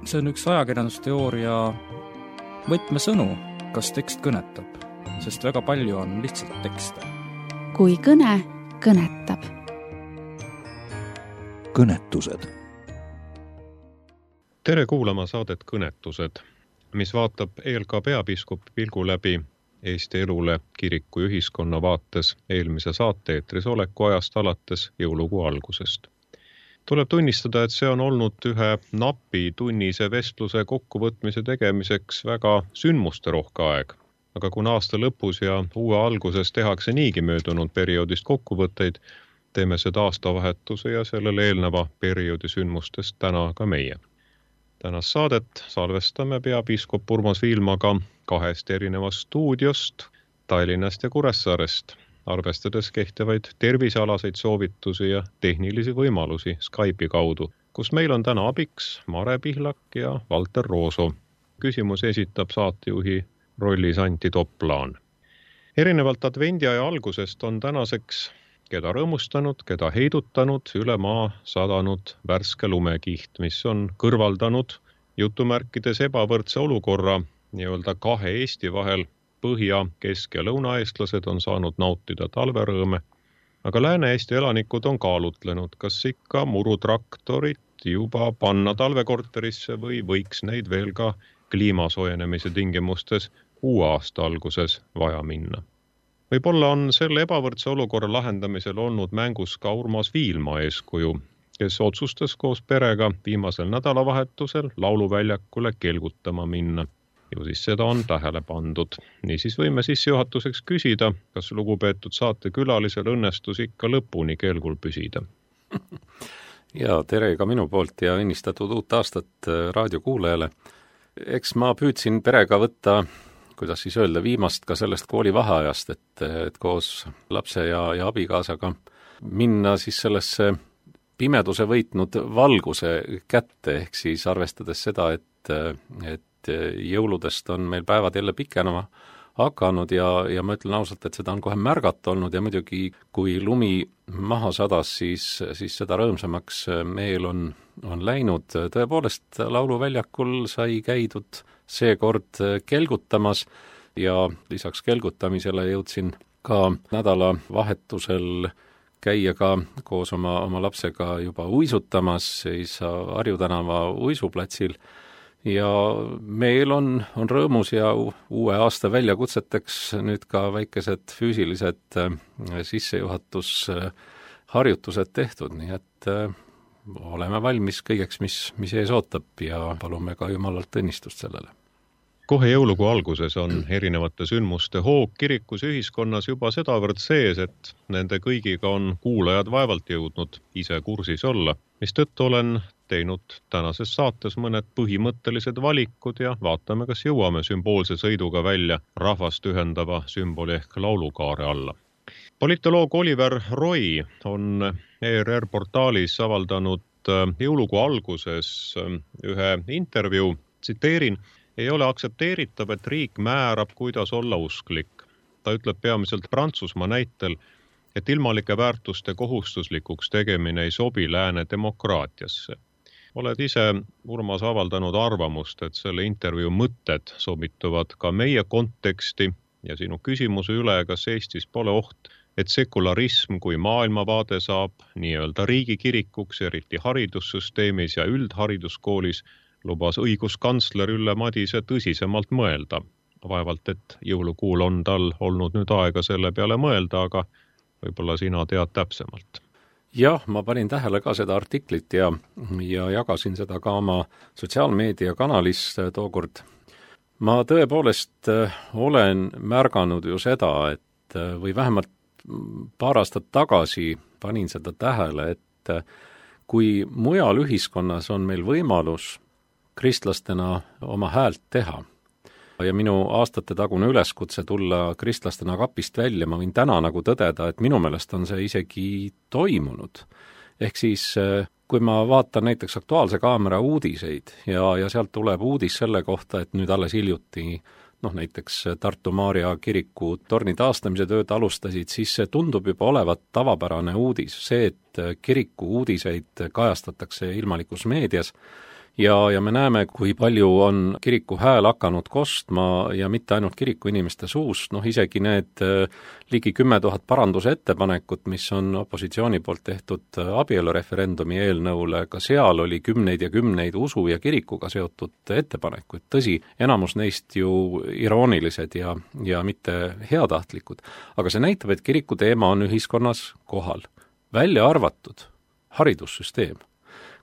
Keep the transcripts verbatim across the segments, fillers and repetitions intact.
see on üks ajakirjandusteooria võtmesõnu, kas tekst kõnetab, sest väga palju on lihtsalt tekste. Kui kõne kõnetab. Kõnetused. Tere kuulama saadet Kõnetused, mis vaatab E L K peapiiskopi pilgu läbi Eesti elule kiriku ja ühiskonna vaates eelmise saate-eetris oleku ajast alates jõulukuu algusest. Tuleb tunnistada, et see on olnud ühe napi tunnise vestluse kokkuvõtmise tegemiseks väga sündmuste rohke aeg. Aga kuna aasta lõpus ja uue alguses tehakse niigi möödunud perioodist kokkuvõtteid, teeme seda aastavahetuse ja sellele eelneva perioodi sündmustest täna ka meie. Tänast saadet salvestame peapiiskop Urmas Viilmaga kahest erinevast stuudiost, Tallinnast ja Kuressaarest, arvestades kehtivaid tervisealaseid soovitusi ja tehnilisi võimalusi Skype'i kaudu, kus meil on täna abiks Mare Pihlak ja Valter Rooso. Küsimus esitab saatejuhi rollis Anti Toplaan. Erinevalt advendiaja algusest on tänaseks keda rõõmustanud, keda heidutanud, üle maa sadanud värske lumekiht, mis on kõrvaldanud jutumärkides ebavõrdse olukorra nii-öelda kahe Eesti vahel. Põhja-, kesk- ja lõunaeestlased on saanud nautida talverõõme, aga Lääne-Eesti elanikud on kaalutlenud, kas ikka murutraktorit juba panna talvekorterisse või võiks neid veel ka kliimasoojenemise tingimustes uue aasta alguses vaja minna. Võib-olla on selle ebavõrdse olukorra lahendamisel olnud mängus ka Urmas Viilma eeskuju, kes otsustas koos perega viimasel nädalavahetusel lauluväljakule kelgutama minna. Ju siis seda on tähele pandud. Niisiis võime sissejuhatuseks küsida, kas lugupeetud saatekülalisel õnnestus ikka lõpuni kelgul püsida. Ja tere ka minu poolt ja õnnistatud uut aastat raadiokuulajale. Eks ma püüdsin perega võtta, kuidas siis öelda, viimast ka sellest kooli vaheajast, et, et koos lapse ja, ja abikaasaga minna siis sellesse pimeduse võitnud valguse kätte, ehk siis arvestades seda, et, et jõuludest on meil päevad jälle pikenema hakanud ja, ja ma ütlen ausalt, et seda on kohe märgata olnud ja muidugi kui lumi maha sadas, siis, siis seda rõõmsamaks meel on, on läinud. Tõepoolest lauluväljakul sai käidud seekord kelgutamas ja lisaks kelgutamisele jõudsin ka nädala vahetusel käia ka koos oma, oma lapsega juba uisutamas siis Harju tänava uisuplatsil ja meil on, on rõõmus ja uue aasta väljakutseteks nüüd ka väikesed füüsilised sissejuhatusharjutused tehtud, nii et oleme valmis kõigeks, mis, mis ees ootab ja palume ka Jumalalt õnnistust sellele. Kohe jõulukuu alguses on erinevate sündmuste hoog kirikus ühiskonnas juba sedavõrd sees, et nende kõigiga on kuulajad vaevalt jõudnud ise kursis olla, mis tõttu olen teinud tänases saates mõned põhimõttelised valikud ja vaatame, kas jõuame sümboolse sõiduga välja rahvast ühendava sümboli ehk laulukaare alla. Politoloog Oliver Roy on E R R portaalis avaldanud jõulukuu alguses ühe intervjuu, tsiteerin, ei ole aktsepteeritav, et riik määrab, kuidas olla usklik. Ta ütleb peamiselt Prantsusmaa näitel, et ilmalike väärtuste kohustuslikuks tegemine ei sobi lääne demokraatiasse. Oled ise, Urmas, avaldanud arvamust, et selle intervjuu mõtted sobituvad ka meie konteksti ja sinu küsimuse üle, kas Eestis pole oht, et sekularism kui maailmavaade saab nii-öelda riigikirikuks, eriti haridussüsteemis ja üldhariduskoolis, lubas õiguskantsler Ülle Madise tõsisemalt mõelda. Vaevalt, et jõulukuul on tal olnud nüüd aega selle peale mõelda, aga võib-olla sina tead täpsemalt. Jah, ma panin tähele ka seda artiklit ja, ja jagasin seda ka oma sotsiaalmeedia kanalis tookord. Ma tõepoolest olen märganud ju seda, et või vähemalt paar aastat tagasi panin seda tähele, et kui mujal ühiskonnas on meil võimalus kristlastena oma häält teha ja minu aastate tagune üleskutse tulla kristlastena kapist välja, ma võin täna nagu tõdeda, et minu meelest on see isegi toimunud. Ehk siis, kui ma vaatan näiteks Aktuaalse Kaamera uudiseid ja, ja sealt tuleb uudis selle kohta, et nüüd alles hiljuti noh, näiteks Tartu Maarja kiriku torni taastamise tööd alustasid, siis see tundub juba olevat tavapärane uudis. See, et kiriku uudiseid kajastatakse ilmalikus meedias ja, ja me näeme, kui palju on kiriku hääl hakanud kostma ja mitte ainult kiriku inimeste suust, noh isegi need ligi kümme tuhat parandusettepanekut, mis on opositsiooni poolt tehtud abielureferendumi eelnõule, ka seal oli kümneid ja kümneid usu ja kirikuga seotud ettepanekuid. Tõsi, enamus neist ju iroonilised ja, ja mitte heatahtlikud, aga see näitab, et kiriku teema on ühiskonnas kohal, välja arvatud haridussüsteem,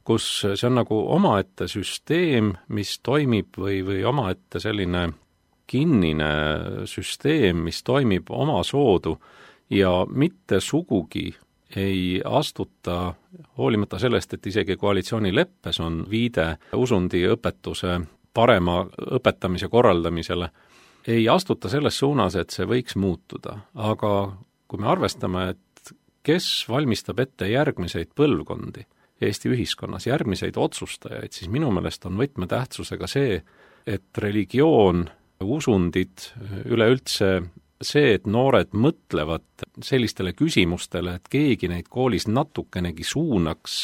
kus see on nagu omaette süsteem, mis toimib või, või omaette selline kinnine süsteem, mis toimib oma soodu ja mitte sugugi ei astuta, hoolimata sellest, et isegi koalitsioonileppes on viide usundi õpetuse parema õpetamise korraldamisele, ei astuta selles suunas, et see võiks muutuda. Aga kui me arvestame, et kes valmistab ette järgmiseid põlvkondi Eesti ühiskonnas, järgmiseid otsustajaid, siis minu meelest on võtmetähtsusega see, et religioon, usundid, üleüldse see, et noored mõtlevad sellistele küsimustele, et keegi neid koolis natukenegi suunaks,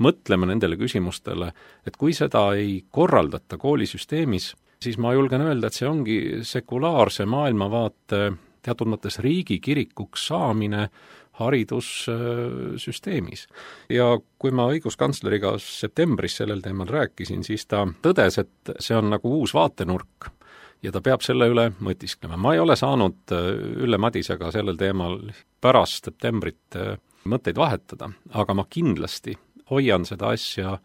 mõtlema nendele küsimustele, et kui seda ei korraldata koolisüsteemis, siis ma julgen öelda, et see ongi sekulaarse maailmavaate teatud mõttes riigikirikuks saamine haridussüsteemis. Ja kui ma õiguskantsleriga septembris sellel teemal rääkisin, siis ta tõdes, et see on nagu uus vaatenurk ja ta peab selle üle mõtisklema. Ma ei ole saanud Ülle Madisega sellel teemal pärast septembrit mõtteid vahetada, aga ma kindlasti hoian seda asja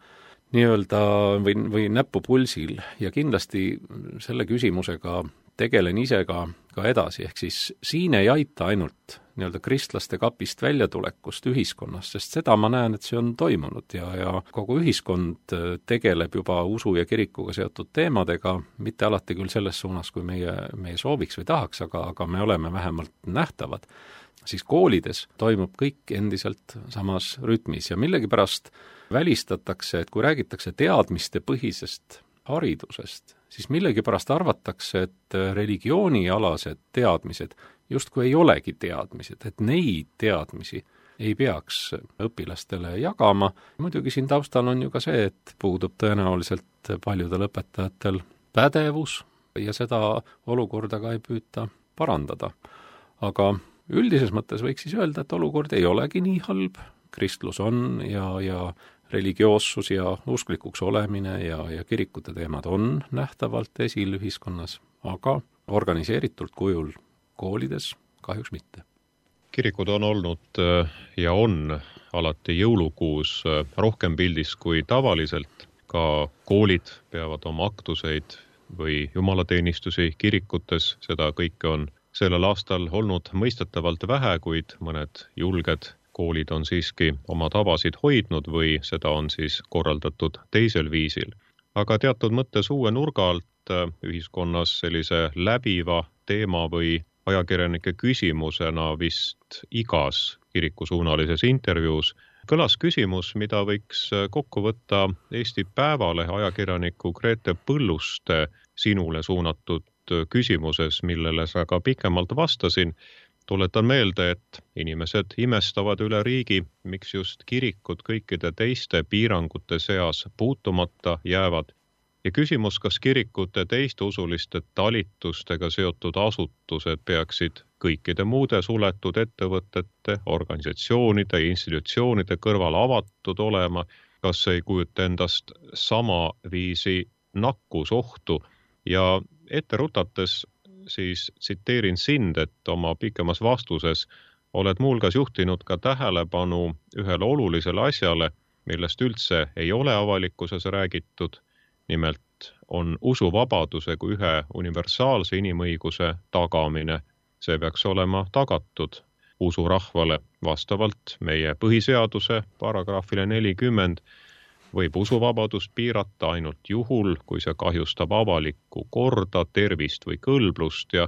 nii-öelda või, või näppu pulsil ja kindlasti selle küsimusega tegelen ise ka, ka edasi, ehk siis siin ei aita ainult nii-öelda kristlaste kapist väljatulekust ühiskonnas, sest seda ma näen, et see on toimunud ja, ja kogu ühiskond tegeleb juba usu ja kirikuga seotud teemadega, mitte alati küll selles suunas, kui meie, meie sooviks või tahaks, aga, aga me oleme vähemalt nähtavad. Siis koolides toimub kõik endiselt samas rütmis ja millegipärast välistatakse, et kui räägitakse teadmiste põhisest haridusest, siis millegipärast arvatakse, et religioonialased teadmised justkui ei olegi teadmised, et neid teadmisi ei peaks õpilastele jagama. Muidugi siin taustal on ju ka see, et puudub tõenäoliselt paljudel õpetajatel pädevus ja seda olukorda ka ei püüta parandada. Aga üldises mõttes võiks siis öelda, et olukord ei olegi nii halb, kristlus on ja, ja religioossus ja usklikuks olemine ja, ja kirikute teemad on nähtavalt esil ühiskonnas, aga organiseeritult kujul koolides kahjuks mitte. Kirikud on olnud ja on alati jõulukuus rohkem pildis kui tavaliselt. Ka koolid peavad oma aktuseid või jumalateenistusi kirikutes, seda kõike on sellel aastal olnud mõistetavalt vähe, kuid mõned julged koolid on siiski oma tabasid hoidnud või seda on siis korraldatud teisel viisil. Aga teatud mõttes uue nurga alt ühiskonnas sellise läbiva teema või ajakirjanike küsimusena vist igas kirikusuunalises intervjuus kõlas küsimus, mida võiks kokku võtta Eesti Päevalehe ajakirjaniku Grete Põlluste sinule suunatud küsimuses, millele sa ka pikemalt vastasin. Tuletan meelde, et inimesed imestavad üle riigi, miks just kirikud kõikide teiste piirangute seas puutumata jäävad. Ja küsimus, kas kirikute teiste usuliste talitustega seotud asutused peaksid kõikide muude suletud ettevõtete, organisatsioonide ja institutsioonide kõrval avatud olema, kas ei kujuta endast sama viisi nakkusohtu ja ette rutates siis tsiteerin sind, et oma pikemas vastuses oled muulgas juhtinud ka tähelepanu ühele olulisele asjale, millest üldse ei ole avalikkuses räägitud. Nimelt on usuvabaduse kui ühe universaalse inimõiguse tagamine. See peaks olema tagatud usurahvale vastavalt meie põhiseaduse paragrahvile nelikümmend. Võib usuvabadust piirata ainult juhul, kui see kahjustab avalikku korda, tervist või kõlblust ja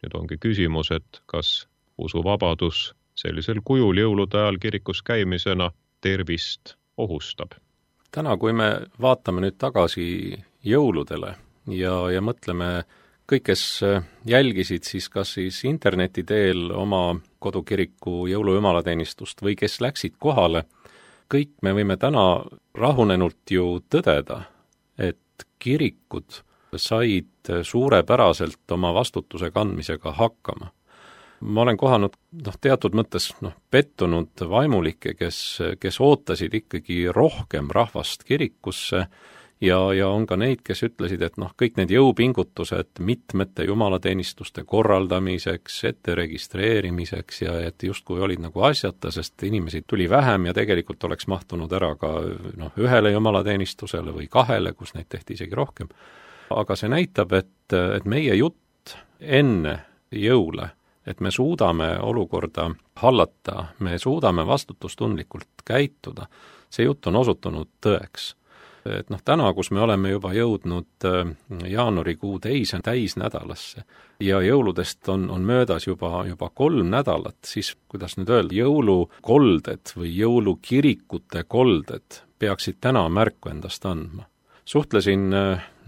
nüüd ongi küsimus, et kas usuvabadus sellisel kujul jõulude ajal kirikus käimisena tervist ohustab. Täna, kui me vaatame nüüd tagasi jõuludele ja, ja mõtleme kõik, kes jälgisid siis kas siis interneti teel oma kodukiriku jõulujumalateenistust või kes läksid kohale, kõik me võime täna rahunenult ju tõdeda, kirikud said suurepäraselt oma vastutuse kandmisega hakkama. Ma olen kohanud noh, teatud mõttes noh, pettunud vaimulikke, kes, kes ootasid ikkagi rohkem rahvast kirikusse ja, ja on ka neid, kes ütlesid, et noh, kõik need jõupingutused mitmete jumalateenistuste korraldamiseks, ette registreerimiseks ja et justkui olid nagu asjata, sest inimesi tuli vähem ja tegelikult oleks mahtunud ära ka noh, ühele jumalateenistusele või kahele, kus neid tehti isegi rohkem. Aga see näitab, et, et meie jutt enne jõule, et me suudame olukorda hallata, me suudame vastutustundlikult käituda, see jutt on osutunud tõeks. Et noh, täna, kus me oleme juba jõudnud jaanuarikuu teise täisnädalasse ja jõuludest on, on möödas juba, juba kolm nädalat, siis kuidas nüüd öelda, jõulukolded või jõulukirikute kolded peaksid täna märku endast andma. Suhtlesin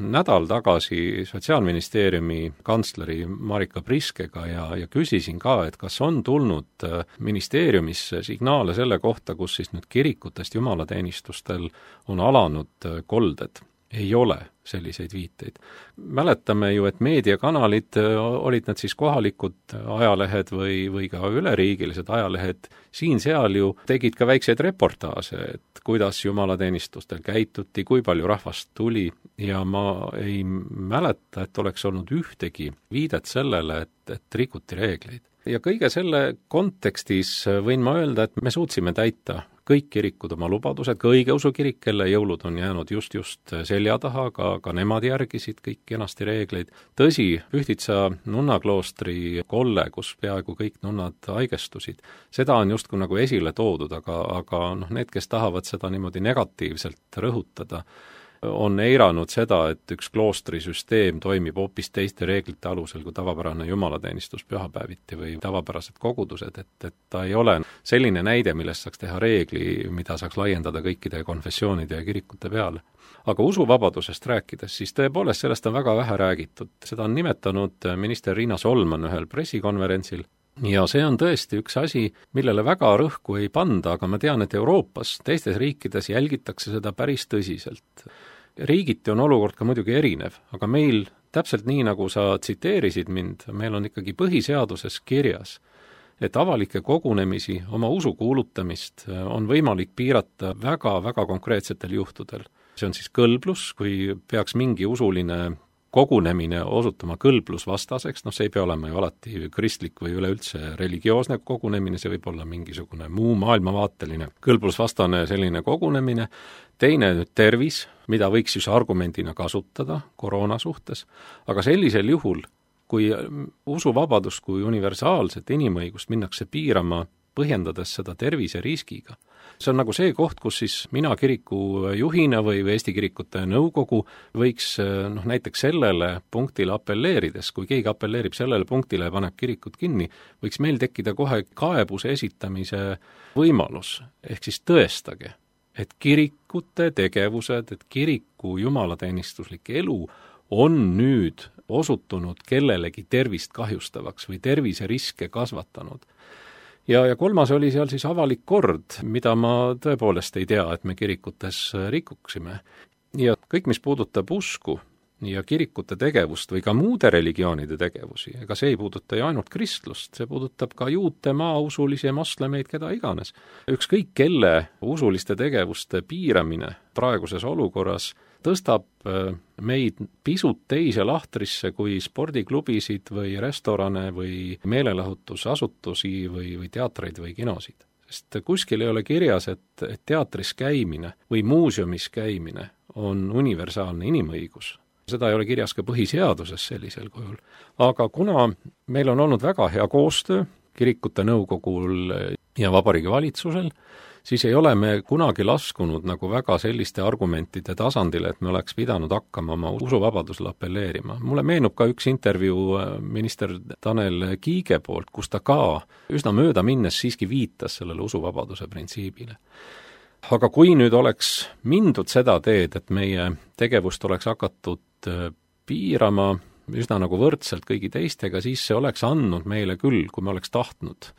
nädal tagasi Sotsiaalministeeriumi kantsleri Marika Priskega ja, ja küsisin ka, et kas on tulnud ministeeriumisse signaale selle kohta, kus siis nüüd kirikutest jumalateenistustel on alanud kolded. Ei ole selliseid viiteid. Mäletame ju, et meediakanalid, olid nad siis kohalikud ajalehed või, või ka üleriigilised ajalehed, siin-seal ju tegid ka väikseid reportaase, et kuidas jumalateenistustel käituti, kui palju rahvast tuli ja ma ei mäleta, et oleks olnud ühtegi viidet sellele, et, et rikuti reegleid. Ja kõige selle kontekstis võin ma öelda, et me suutsime täita kõik kirikud oma lubadused, ka õigeusu kirik, kelle jõulud on jäänud just-just selja taha, ka, ka nemad järgisid kõik kenasti reegleid. Tõsi, Pühtitsa nunnakloostri kolle, kus peaaegu kõik nunnad haigestusid, seda on justkui nagu esile toodud, aga, aga noh, need, kes tahavad seda niimoodi negatiivselt rõhutada, on eiranud seda, et üks kloostrisüsteem toimib hoopis teiste reeglite alusel kui tavapärane jumalateenistus pühapäeviti või tavapärased kogudused, et, et ta ei ole selline näide, millest saaks teha reegli, mida saaks laiendada kõikide konfessioonide ja kirikute peale. Aga usuvabadusest rääkides, siis tõepoolest sellest on väga vähe räägitud. Seda on nimetanud minister Riina Solman ühel pressikonverentsil. Ja see on tõesti üks asi, millele väga rõhku ei panda, aga ma tean, et Euroopas, teistes riikides jälgitakse seda päris tõsiselt. Riigiti on olukord ka muidugi erinev, aga meil, täpselt nii nagu sa tsiteerisid mind, meil on ikkagi põhiseaduses kirjas, et avalikke kogunemisi, oma usu kuulutamist on võimalik piirata väga-väga konkreetsetel juhtudel. See on siis kõlblus, kui peaks mingi usuline kogunemine osutuma kõlblusvastaseks, noh see ei pea olema ju alati kristlik või üleüldse religioosne kogunemine, see võib olla mingisugune muu maailmavaateline kõlblusvastane selline kogunemine. Teine nüüd tervis, mida võiks siis argumendina kasutada koroona suhtes, aga sellisel juhul, kui usuvabadust kui universaalset inimõigust minnakse piirama, põhjendades seda terviseriskiga, see on nagu see koht, kus siis mina kiriku juhina või Eesti Kirikute Nõukogu võiks noh, näiteks sellele punktile apelleerides, kui keegi apelleerib sellele punktile ja paneb kirikud kinni, võiks meil tekkida kohe kaebuse esitamise võimalus, ehk siis tõestage, et kirikute tegevused, et kiriku jumalateenistuslik elu on nüüd osutunud kellelegi tervist kahjustavaks või terviseriske kasvatanud. Ja, ja kolmas oli seal siis avalik kord, mida ma tõepoolest ei tea, et me kirikutes rikuksime. Ja kõik, mis puudutab usku ja kirikute tegevust või ka muude religioonide tegevusi, ega see ei puuduta ju ainult kristlust, see puudutab ka juute, maausulisi, moslemeid, keda iganes. Ükskõik kelle usuliste tegevuste piiramine praeguses olukorras tõstab meid pisut teise lahtrisse kui spordiklubisid või restorane või meelelahutusasutusi või, või teatreid või kinosid. Sest kuskil ei ole kirjas, et, et teatris käimine või muuseumis käimine on universaalne inimõigus. Seda ei ole kirjas ka põhiseaduses sellisel kujul. Aga kuna meil on olnud väga hea koostöö kirikute nõukogul ja Vabariigi Valitsusel, siis ei ole me kunagi laskunud nagu väga selliste argumentide tasandile, et me oleks pidanud hakkama oma usuvabadusele apelleerima. Mulle meenub ka üks intervjuu minister Tanel Kiige poolt, kus ta ka üsna mööda minnes siiski viitas sellele usuvabaduse printsiibile. Aga kui nüüd oleks mindud seda teed, et meie tegevust oleks hakatud piirama üsna nagu võrdselt kõigi teistega, siis see oleks andnud meile küll, kui me oleks tahtnud,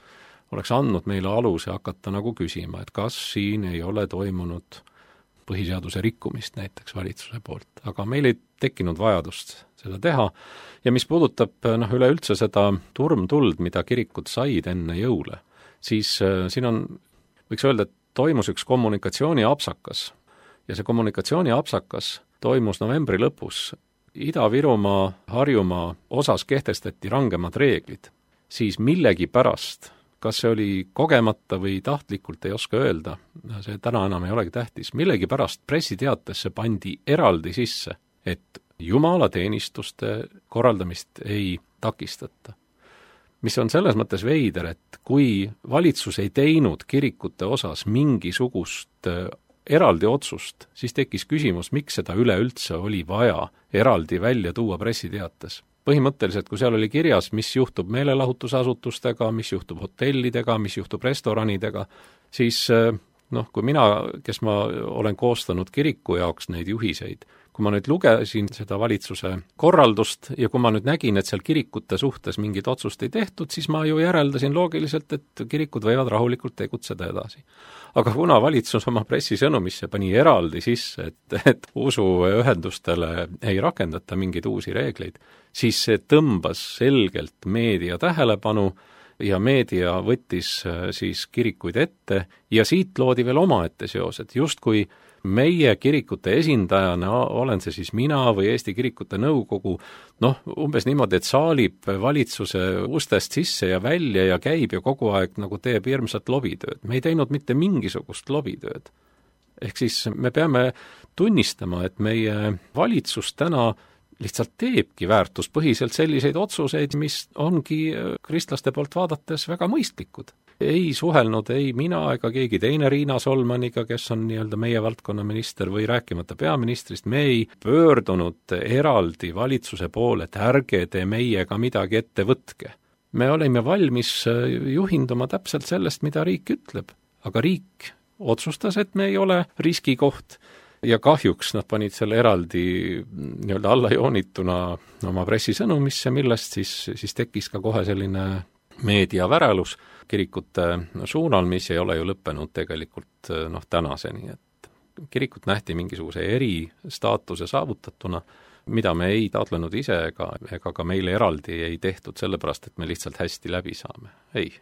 oleks andnud meile aluse hakata nagu küsima, et kas siin ei ole toimunud põhiseaduse rikkumist näiteks valitsuse poolt, aga meil ei tekkinud vajadust seda teha ja mis puudutab noh, üleüldse seda turmtuld, mida kirikud said enne jõule, siis äh, siin on, võiks öelda, et toimus üks kommunikatsiooni apsakas ja see kommunikatsiooni apsakas toimus novembri lõpus. Ida-Virumaa, Harjumaa osas kehtestati rangemad reeglid, siis millegi pärast, kas see oli kogemata või tahtlikult, ei oska öelda, see täna enam ei olegi tähtis, millegi pärast pressiteatesse pandi eraldi sisse, et jumalateenistuste korraldamist ei takistata. Mis on selles mõttes veider, et kui valitsus ei teinud kirikute osas mingisugust eraldi otsust, siis tekkis küsimus, miks seda üleüldse oli vaja eraldi välja tuua pressiteates. Põhimõtteliselt, kui seal oli kirjas, mis juhtub meelelahutusasutustega, mis juhtub hotellidega, mis juhtub restoranidega, siis noh, kui mina, kes ma olen koostanud kiriku jaoks neid juhiseid, kui ma nüüd lugesin seda valitsuse korraldust ja kui ma nüüd nägin, et seal kirikute suhtes mingit otsust ei tehtud, siis ma ju järeldasin loogiliselt, et kirikud võivad rahulikult tegutseda edasi. Aga kuna valitsus oma pressisõnumisse pani eraldi sisse, et, et usuühendustele ei rakendata mingeid uusi reegleid, siis see tõmbas selgelt meedia tähelepanu ja meedia võttis siis kirikuid ette ja siit loodi veel omaette seos, et justkui meie kirikute esindajana, olen see siis mina või Eesti Kirikute Nõukogu, noh, umbes niimoodi, et saalib valitsuse ustest sisse ja välja ja käib ja kogu aeg nagu teeb hirmsat lobitööd. Me ei teinud mitte mingisugust lobitööd. Ehk siis me peame tunnistama, et meie valitsus täna lihtsalt teebki väärtuspõhiselt selliseid otsuseid, mis ongi kristlaste poolt vaadates väga mõistlikud. Ei suhelnud ei mina ega keegi teine Riina Solmaniga, kes on nii-öelda meie valdkonna minister või rääkimata peaministrist, me ei pöördunud eraldi valitsuse poole, et ärge te meiega midagi ette võtke. Me olime valmis juhinduma täpselt sellest, mida riik ütleb, aga riik otsustas, et me ei ole riskikoht ja kahjuks nad panid selle eraldi nii-öelda allajoonituna oma pressisõnumisse, millest siis, siis tekkis ka kohe selline meediavärelus kirikute suunal, mis ei ole ju lõppenud tegelikult noh, tänaseni, et kirikut nähti mingisuguse eristaatuse saavutatuna, mida me ei taotlenud ise ega, ega ka meile eraldi ei tehtud sellepärast, et me lihtsalt hästi läbi saame. Ei.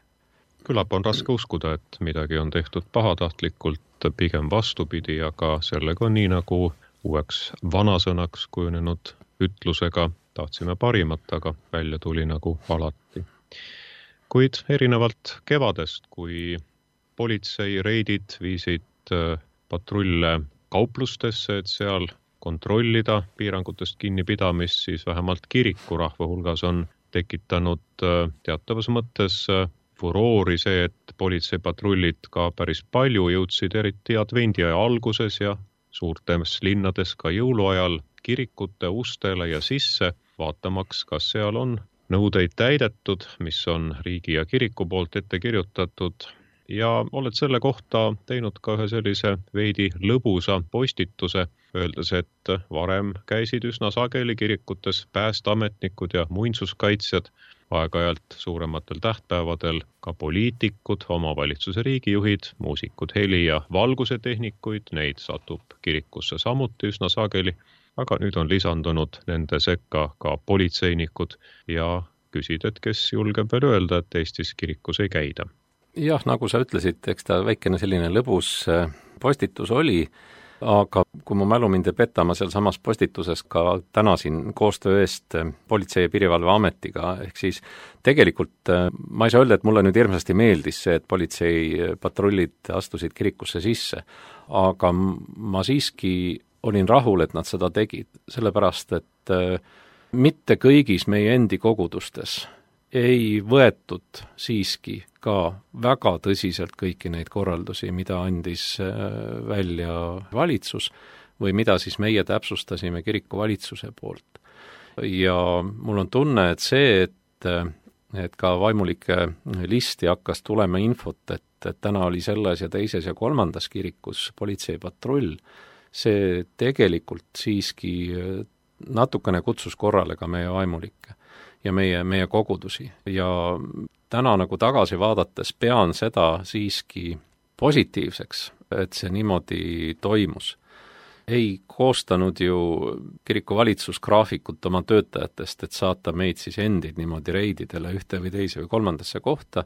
Küllap on raske uskuda, et midagi on tehtud pahatahtlikult, pigem vastupidi, aga sellega on nii nagu uueks vanasõnaks kujunenud ütlusega tahtsime parimat, aga välja tuli nagu alati. Kuid erinevalt kevadest, kui politsei reidid viisid patrulle kauplustesse, et seal kontrollida piirangutest kinnipidamist, siis vähemalt kirikurahva hulgas on tekitanud teatavas mõttes furoori see, et politseipatrullid ka päris palju jõudsid eriti advendiaja alguses ja suurtes linnades ka jõuluajal kirikute ustele ja sisse, vaatamaks, kas seal on nõudeid täidetud, mis on riigi ja kiriku poolt ette kirjutatud ja oled selle kohta teinud ka ühe sellise veidi lõbusa postituse, öeldes, et varem käisid üsna sageli kirikutes päästeametnikud ja muinsuskaitsjad, aeg-ajalt suurematel tähtpäevadel ka poliitikud, omavalitsuse riigijuhid, muusikud, heli- ja valgusetehnikuid, neid satub kirikusse samuti üsna sageli, aga nüüd on lisandunud nende sekka ka politseinikud ja küsid, et kes julgeb veel öelda, et Eestis kirikus ei käida. Jah, nagu sa ütlesid, eks ta väikene selline lõbus postitus oli, aga kui mu mälu mind ei peta, ma seal samas postituses ka tänasin koostöö eest Politsei- ja Piirivalveametiga, ehk siis tegelikult ma ei saa öelda, et mulle nüüd hirmsasti meeldis see, et politseipatrullid astusid kirikusse sisse, aga ma siiski olin rahul, et nad seda tegid, sellepärast, et mitte kõigis meie endi kogudustes ei võetud siiski ka väga tõsiselt kõiki neid korraldusi, mida andis välja valitsus või mida siis meie täpsustasime kiriku valitsuse poolt. Ja mul on tunne, et see, et, et ka vaimulike listi hakkas tulema infot, et, et täna oli selles ja teises ja kolmandas kirikus politseipatrull, see tegelikult siiski natukene kutsus korrale ka meie vaimulikke ja meie, meie kogudusi. Ja täna nagu tagasi vaadates pean seda siiski positiivseks, et see niimoodi toimus. ei koostanud ju kiriku valitsus graafikut oma töötajatest, et saata meid siis endid niimoodi reididele ühte või teise või kolmandasse kohta,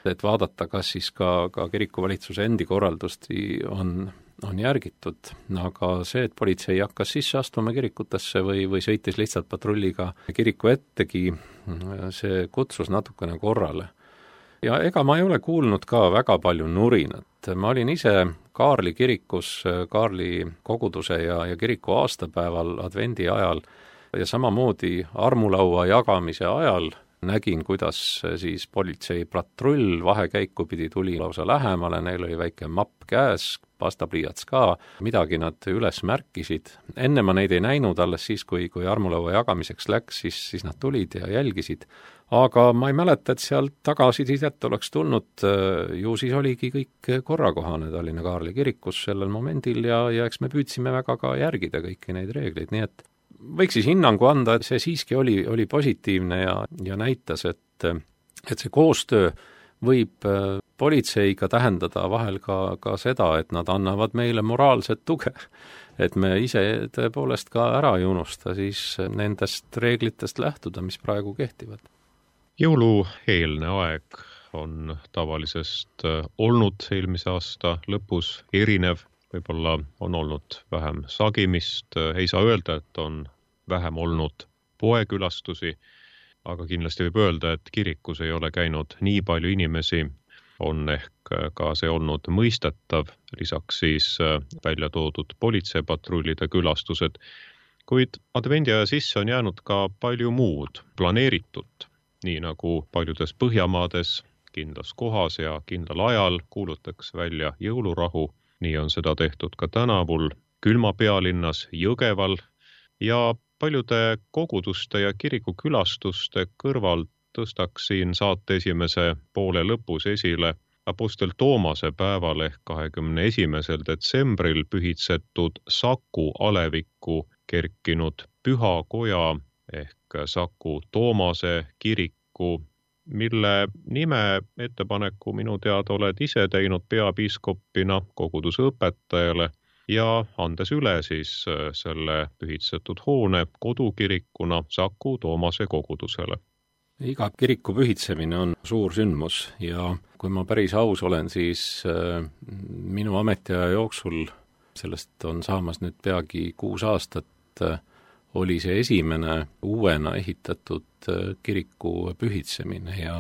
et vaadata, kas siis ka, ka kiriku valitsuse endi korraldust on, on järgitud. Aga see, et politsei hakkas sisse astuma kirikutesse või, või sõitis lihtsalt patrulliga kiriku ettegi, see kutsus natukene korrale. Ja ega ma ei ole kuulnud ka väga palju nurinat. Ma olin ise Kaarli kirikus, Kaarli koguduse ja, ja kiriku aastapäeval advendi ajal ja samamoodi armulaua jagamise ajal nägin, kuidas siis politsei patrull vahekäiku pidi tuli lausa lähemale, neil oli väike mapp käes, pastapliiats ka, midagi nad üles märkisid. Enne ma neid ei näinud, alles siis, kui, kui armulaua jagamiseks läks, siis, siis nad tulid ja jälgisid. Aga ma ei mäleta, et sealt tagasisidet oleks tulnud, ju siis oligi kõik korrakohane Tallinna Kaarli kirikus sellel momendil ja, ja eks me püüdsime väga ka järgida kõiki neid reegleid, nii et võiks siis hinnangu anda, et see siiski oli, oli positiivne ja, ja näitas, et, et see koostöö võib politseiga tähendada vahel ka, ka seda, et nad annavad meile moraalset tuge, et me ise tõepoolest ka ära ei unusta siis nendest reeglitest lähtuda, mis praegu kehtivad. Jõulueelne aeg on tavalisest olnud eelmise aasta lõpus erinev, võib-olla on olnud vähem sagimist, ei saa öelda, et on vähem olnud poekülastusi, aga kindlasti võib öelda, et kirikus ei ole käinud nii palju inimesi, on ehk ka see olnud mõistetav, lisaks siis välja toodud politseipatrullide külastused, kuid advendiaja sisse on jäänud ka palju muud planeeritut, nii nagu paljudes Põhjamaades kindlas kohas ja kindlal ajal kuulutaks välja jõulurahu. Nii on seda tehtud ka tänavul külma pealinnas Jõgeval ja paljude koguduste ja kirikukülastuste kõrval tõstaks siin saate esimese poole lõpus esile Apostel Toomase päeval ehk kahekümne esimesel detsembril pühitsetud Saku alevikku kerkinud pühakoja ehk Saku Toomase kiriku, mille nime ettepaneku minu teada oled ise teinud peapiiskopina koguduse õpetajale ja andes üle siis selle pühitsetud hoone kodukirikuna Saku Toomase kogudusele. Iga kiriku pühitsemine on suur sündmus ja kui ma päris aus olen, siis minu ametiaja jooksul, sellest on saamas nüüd peagi kuus aastat, oli see esimene uuena ehitatud kiriku pühitsemine ja,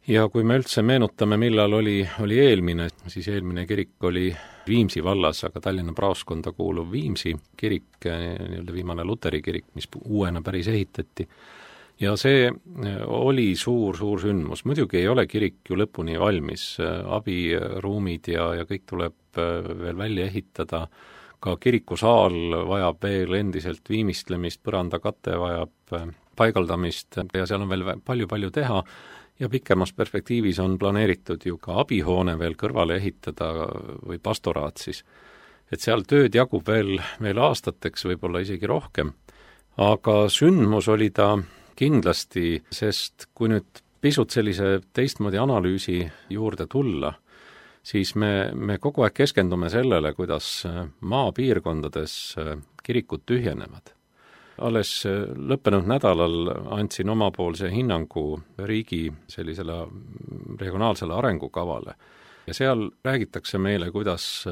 ja kui me üldse meenutame, millal oli, oli eelmine, siis eelmine kirik oli Viimsi vallas, aga Tallinna praoskonda kuuluv Viimsi kirik, nii-öelda viimane luteri kirik, mis uuena päris ehitati. Ja see oli suur, suur sündmus. Muidugi ei ole kirik ju lõpuni valmis, abiruumid ja, ja kõik tuleb veel välja ehitada. Ka kirikusaal vajab veel endiselt viimistlemist, põrandakate vajab paigaldamist ja seal on veel palju-palju teha ja pikemas perspektiivis on planeeritud ju ka abihoone veel kõrvale ehitada või pastoraat siis. Et seal tööd jagub veel, veel aastateks, võib-olla isegi rohkem, aga sündmus oli ta kindlasti, sest kui nüüd pisut sellise teistmoodi analüüsi juurde tulla, siis me, me kogu aeg keskendume sellele, kuidas maapiirkondades kirikud tühjenevad. Alles lõppenud nädalal andsin omapoolse hinnangu riigi sellisele regionaalsele arengukavale ja seal räägitakse meile, kuidas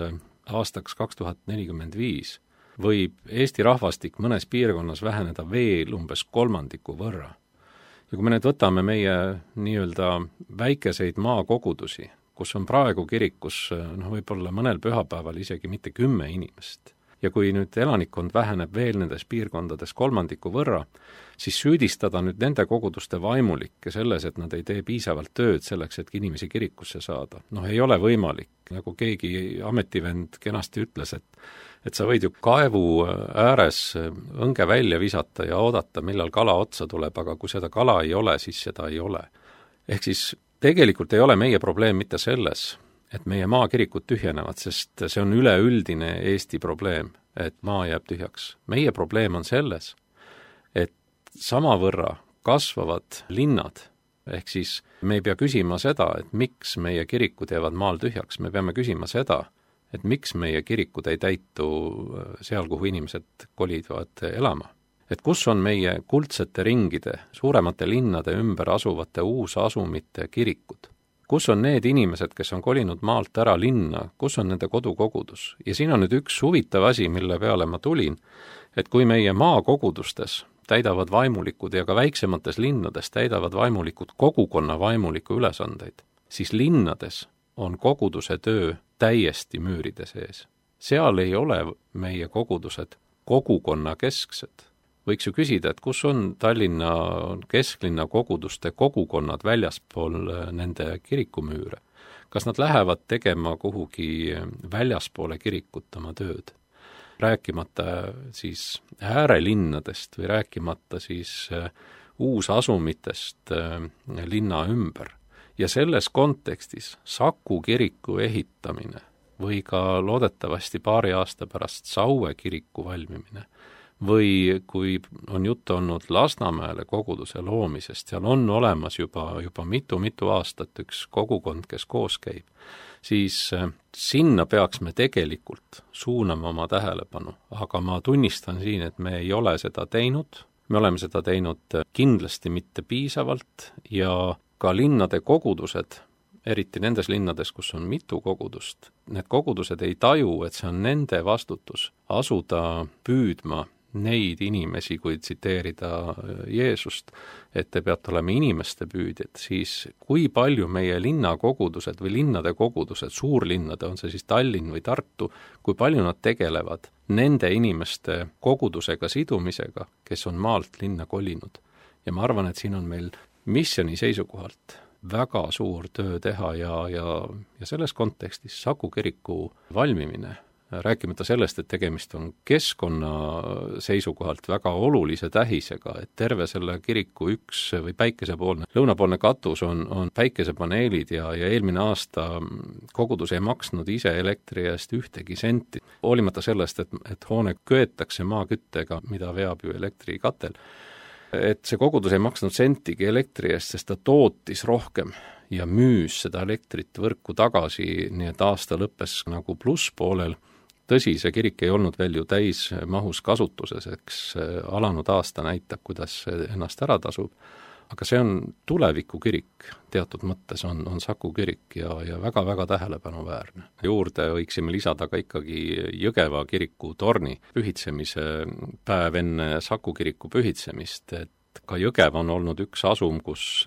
aastaks kaks tuhat nelikümmend viis võib Eesti rahvastik mõnes piirkonnas väheneda veel umbes kolmandiku võrra. Ja kui me nüüd võtame meie nii-öelda väikeseid maakogudusi, kus on praegu kirikus no, võib-olla mõnel pühapäeval isegi mitte kümme inimest. Ja kui nüüd elanikkond väheneb veel nendes piirkondades kolmandiku võrra, siis süüdistada nüüd nende koguduste vaimulikke selles, et nad ei tee piisavalt tööd selleks, et inimesi kirikusse saada. Noh, ei ole võimalik. Nagu keegi ametivend kenasti ütles, et, et sa võid ju kaevu ääres õnge välja visata ja oodata, millal kala otsa tuleb, aga kui seda kala ei ole, siis seda ei ole. Ehk siis tegelikult ei ole meie probleem mitte selles, et meie maakirikud tühjenevad, sest see on üleüldine Eesti probleem, et maa jääb tühjaks. Meie probleem on selles, et samavõrra kasvavad linnad, ehk siis me ei pea küsima seda, et miks meie kirikud jäävad maal tühjaks, me peame küsima seda, et miks meie kirikud ei täitu seal, kuhu inimesed kolivad elama. Et kus on meie kuldsete ringide, suuremate linnade ümber asuvate uusasumite kirikud? Kus on need inimesed, kes on kolinud maalt ära linna, kus on nende kodukogudus? Ja siin on nüüd üks huvitav asi, mille peale ma tulin, et kui meie maakogudustes täidavad vaimulikud ja ka väiksemates linnades täidavad vaimulikud kogukonna vaimuliku ülesandeid, siis linnades on koguduse töö täiesti müüride sees. Seal ei ole meie kogudused kogukonna kesksed. Võiks ju küsida, et kus on Tallinna kesklinna koguduste kogukonnad väljaspool nende kirikumüüre? Kas nad lähevad tegema kuhugi väljaspoole kirikut oma tööd? Rääkimata siis äärelinnadest või rääkimata siis uusasumitest linna ümber. Ja selles kontekstis Saku kiriku ehitamine või ka loodetavasti paari aasta pärast Saue kiriku valmimine või kui on juttu olnud Lasnamäele koguduse loomisest, seal on olemas juba, juba mitu-mitu aastat üks kogukond, kes koos käib, siis sinna peaks me tegelikult suunama oma tähelepanu, aga ma tunnistan siin, et me ei ole seda teinud, me oleme seda teinud kindlasti mitte piisavalt ja ka linnade kogudused, eriti nendes linnades, kus on mitu kogudust, need kogudused ei taju, et see on nende vastutus asuda püüdma neid inimesi, kui tsiteerida Jeesust, et te peate olema inimeste püüdjad, siis kui palju meie linnakogudused või linnade kogudused, suurlinnade, on see siis Tallinn või Tartu, kui palju nad tegelevad nende inimeste kogudusega sidumisega, kes on maalt linna kolinud. Ja ma arvan, et siin on meil missiooni seisukohalt väga suur töö teha ja, ja, ja selles kontekstis Saku kiriku valmimine, rääkimata sellest, et tegemist on keskkonna seisukohalt väga olulise tähisega, et terve selle kiriku üks või päikesepoolne, lõunapoolne katus on, on päikesepaneelid ja, ja eelmine aasta kogudus ei maksnud ise elektri eest ühtegi senti, hoolimata sellest, et, et hoone köetakse maaküttega, mida veab ju elektrikatel. Et see kogudus ei maksnud sentigi elektri eest, sest ta tootis rohkem ja müüs seda elektrit võrku tagasi, nii et aasta lõppes nagu plusspoolel. Tõsi, see kirik ei olnud veel ju täis mahus kasutuses, eks alanud aasta näitab, kuidas ennast ära tasub, aga see on tuleviku kirik, teatud mõttes on, on Saku kirik ja, ja väga-väga tähelepanuväärne. Juurde võiksime lisada ka ikkagi Jõgeva kiriku torni pühitsemise päev enne Saku kiriku pühitsemist, et ka Jõgev on olnud üks asum, kus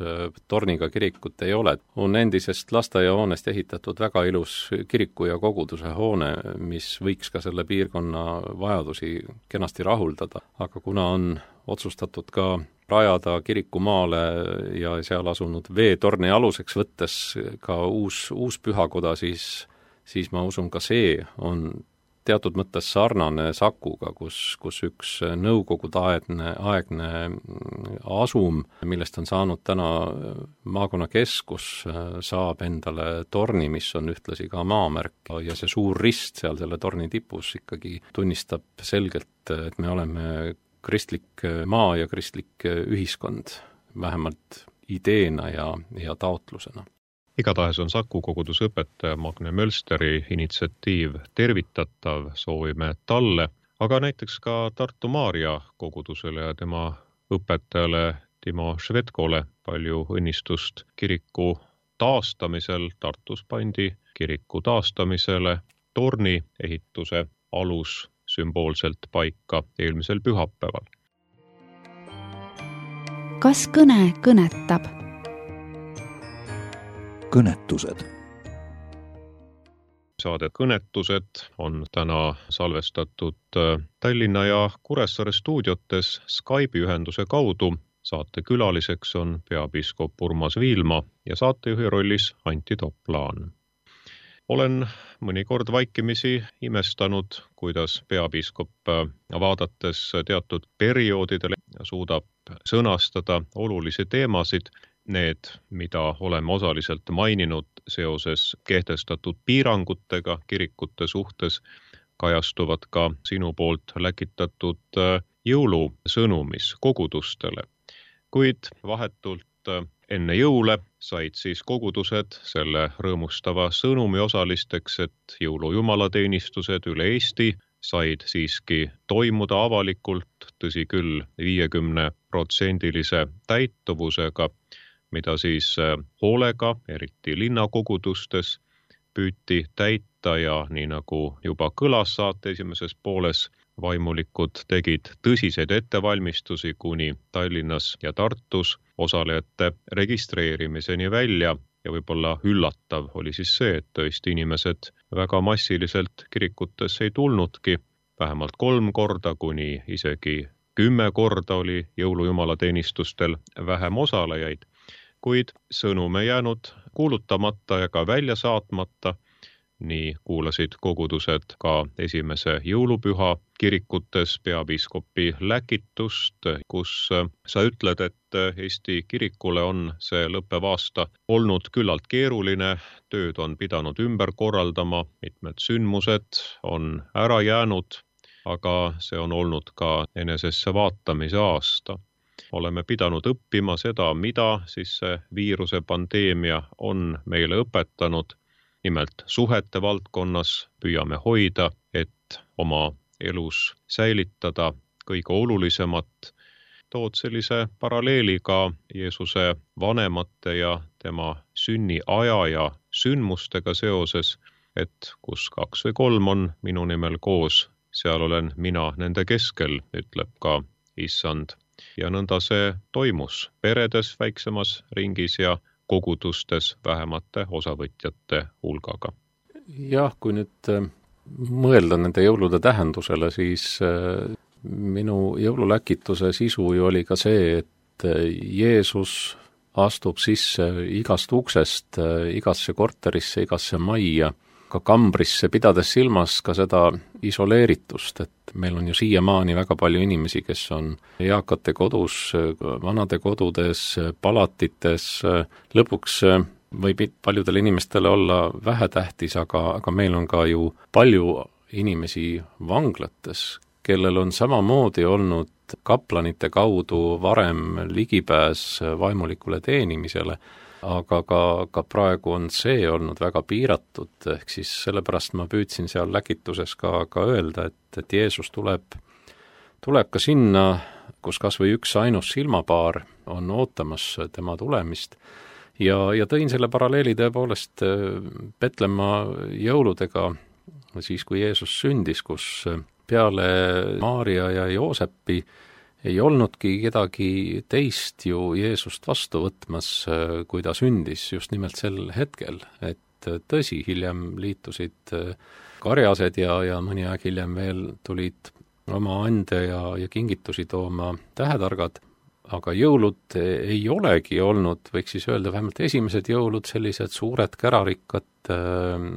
torniga kirikut ei ole. On endisest lasteaiahoonest ehitatud väga ilus kiriku ja koguduse hoone, mis võiks ka selle piirkonna vajadusi kenasti rahuldada. Aga kuna on otsustatud ka rajada kirikumaale ja seal asunud veetorni aluseks võttes ka uus, uus pühakoda, siis, siis ma usun ka see on teatud mõttes sarnane Sakuga, kus, kus üks nõukogude aegne asum, millest on saanud täna maakonnakeskus, saab endale torni, mis on ühtlasi ka maamärk ja see suur rist seal selle torni tipus ikkagi tunnistab selgelt, et me oleme kristlik maa ja kristlik ühiskond, vähemalt ideena ja, ja taotlusena. Igatahes on Saku koguduse õpetaja Magne Mölsteri initsiatiiv tervitatav, soovime talle, aga näiteks ka Tartu Maarja kogudusele ja tema õpetajale Timo Švedkole palju õnnistust kiriku taastamisel. Tartus pandi kiriku taastamisele torni ehituse alus sümboolselt paika eelmisel pühapäeval. Kas kõne kõnetab? Kõnetused. Saade Kõnetused on täna salvestatud Tallinna ja Kuressaare stuudiotes Skype'i ühenduse kaudu. Saate külaliseks on peapiiskop Urmas Viilma ja saatejuhi rollis Antti Toplaan. Olen mõnikord vaikimisi imestanud, kuidas peapiiskop vaadates teatud perioodidele suudab sõnastada olulisi teemasid. Need, mida oleme osaliselt maininud seoses kehtestatud piirangutega kirikute suhtes, kajastuvad ka sinu poolt läkitatud jõulusõnumis kogudustele. Kuid vahetult enne jõule said siis kogudused selle rõõmustava sõnumi osalisteks, et jõulujumalateenistused üle Eesti said siiski toimuda avalikult, tõsi küll, viiekümne protsendilise täituvusega, mida siis hoolega, eriti linnakogudustes, püüti täita ja nii nagu juba kõlas saate esimeses pooles, vaimulikud tegid tõsiseid ettevalmistusi kuni Tallinnas ja Tartus osalejate registreerimiseni välja ja võib-olla üllatav oli siis see, et tõesti inimesed väga massiliselt kirikutesse ei tulnudki, vähemalt kolm korda kuni isegi kümme korda oli jõulujumalateenistustel vähem osalejaid, kuid sõnum ei jäänud kuulutamata ja ka välja saatmata. Nii kuulasid kogudused ka esimese jõulupüha kirikutes peapiiskopi läkitust, kus sa ütled, et Eesti kirikule on see lõppev aasta olnud küllalt keeruline, tööd on pidanud ümber korraldama, mitmed sündmused on ära jäänud, aga see on olnud ka enesesse vaatamise aasta. Oleme pidanud õppima seda, mida siis see viiruse pandeemia on meile õpetanud. Nimelt suhete valdkonnas püüame hoida, et oma elus säilitada kõige olulisemat. Tood sellise paralleeli ka Jeesuse vanemate ja tema sünniaja ja sündmustega seoses, et kus kaks või kolm on minu nimel koos, seal olen mina nende keskel, ütleb ka Issand. Ja nõnda see toimus peredes väiksemas ringis ja kogudustes vähemate osavõtjate hulgaga. Jah, kui nüüd mõelda nende jõulude tähendusele, siis minu jõululäkituse sisu ju oli ka see, et Jeesus astub sisse igast uksest, igasse korterisse, igasse majja, ka kambrisse, pidades silmas ka seda isoleeritust, et meil on ju siiamaani väga palju inimesi, kes on eakate kodus, vanade kodudes, palatites, lõpuks võib paljudele inimestele olla vähetähtis, aga, aga meil on ka ju palju inimesi vanglates, kellel on samamoodi olnud kaplanite kaudu varem ligipääs vaimulikule teenimisele, aga ka, ka praegu on see olnud väga piiratud, ehk siis sellepärast ma püüdsin seal läkituses ka, ka öelda, et, et Jeesus tuleb, tuleb ka sinna, kus kas või üks ainus silmapaar on ootamas tema tulemist ja, ja tõin selle paralleeli tõepoolest Petlemma jõuludega, siis kui Jeesus sündis, kus peale Maaria ja Joosepi ei olnudki kedagi teist ju Jeesust vastu võtmas, kui ta sündis just nimelt sel hetkel, et tõsi, hiljem liitusid karjased ja, ja mõni aeg hiljem veel tulid oma ande ja, ja kingitusi tooma tähetargad, aga jõulud ei olegi olnud, võiks siis öelda, vähemalt esimesed jõulud sellised suured kärarikkad äh,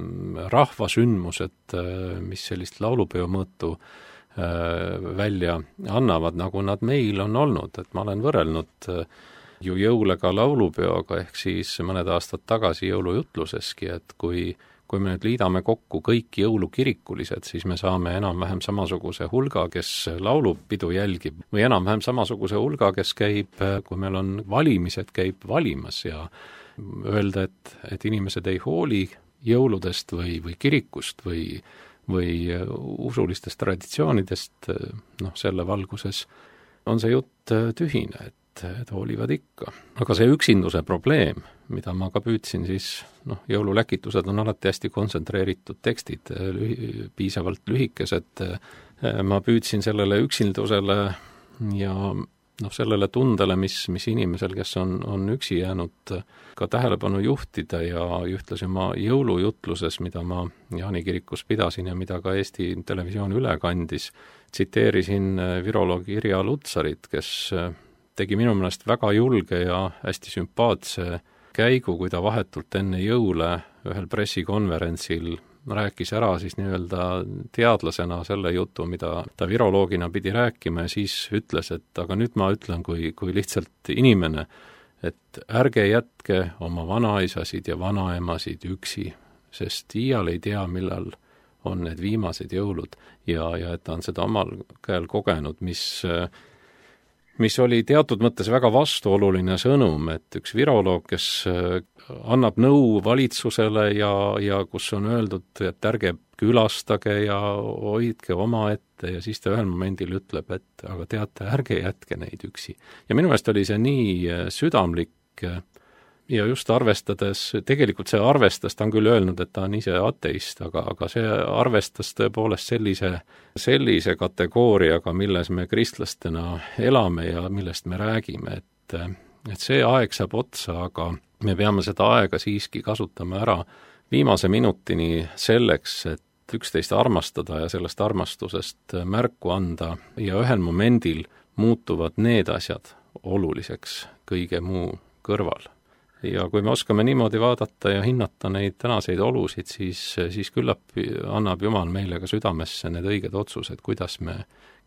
rahvasündmused, äh, mis sellist laulupeo mõõtu välja annavad, nagu nad meil on olnud, et ma olen võrrelnud ju jõule ka laulupeoga, ehk siis mõned aastad tagasi jõulujutluseski, et kui, kui me nüüd liidame kokku kõik jõulukirikulised, siis me saame enam-vähem samasuguse hulga, kes laulupidu jälgib, või enam-vähem samasuguse hulga, kes käib, kui meil on valimised, käib valimas ja öelda, et, et inimesed ei hooli jõuludest või, või kirikust või või usulistest traditsioonidest, noh, selle valguses on see jutt tühine, et, et hoolivad ikka. Aga see üksinduse probleem, mida ma ka püüdsin siis, noh, jõululäkitused on alati hästi kontsentreeritud tekstid, lühi, piisavalt lühikesed, ma püüdsin sellele üksindusele ja noh, sellele tundele, mis, mis inimesel, kes on, on üksi jäänud, ka tähelepanu juhtida ja ühtlasi oma jõulujutluses, mida ma Jaani kirikus pidasin ja mida ka Eesti Televisioon üle kandis, tsiteerisin viroloog Irja Lutsarit, kes tegi minu meelest väga julge ja hästi sümpaatse käigu, kui ta vahetult enne jõule ühel pressikonverentsil rääkis ära siis nii-öelda teadlasena selle jutu, mida ta viroloogina pidi rääkima ja siis ütles, et aga nüüd ma ütlen kui, kui lihtsalt inimene, et ärge jätke oma vanaisasid ja vanaemasid üksi, sest iial ei tea, millal on need viimased jõulud ja, ja et ta on seda omal käel kogenud, mis mis oli teatud mõttes väga vastuoluline sõnum, et üks viroloog, kes annab nõu valitsusele ja, ja kus on öeldud, et ärge külastage ja hoidke omaette ja siis ta ühel momendil ütleb, et aga teate, ärge jätke neid üksi. Ja minu meelest oli see nii südamlik ja just arvestades, tegelikult see arvestas, ta on küll öelnud, et ta on ise ateist, aga, aga see arvestas tõepoolest sellise, sellise kategooriaga, milles me kristlastena elame ja millest me räägime, et, et see aeg saab otsa, aga me peame seda aega siiski kasutama ära viimase minutini selleks, et üksteist armastada ja sellest armastusest märku anda ja ühel momendil muutuvad need asjad oluliseks kõige muu kõrval. Ja kui me oskame niimoodi vaadata ja hinnata neid tänaseid olusid, siis, siis küllap annab Jumal meile ka südamesse need õiged otsused, kuidas me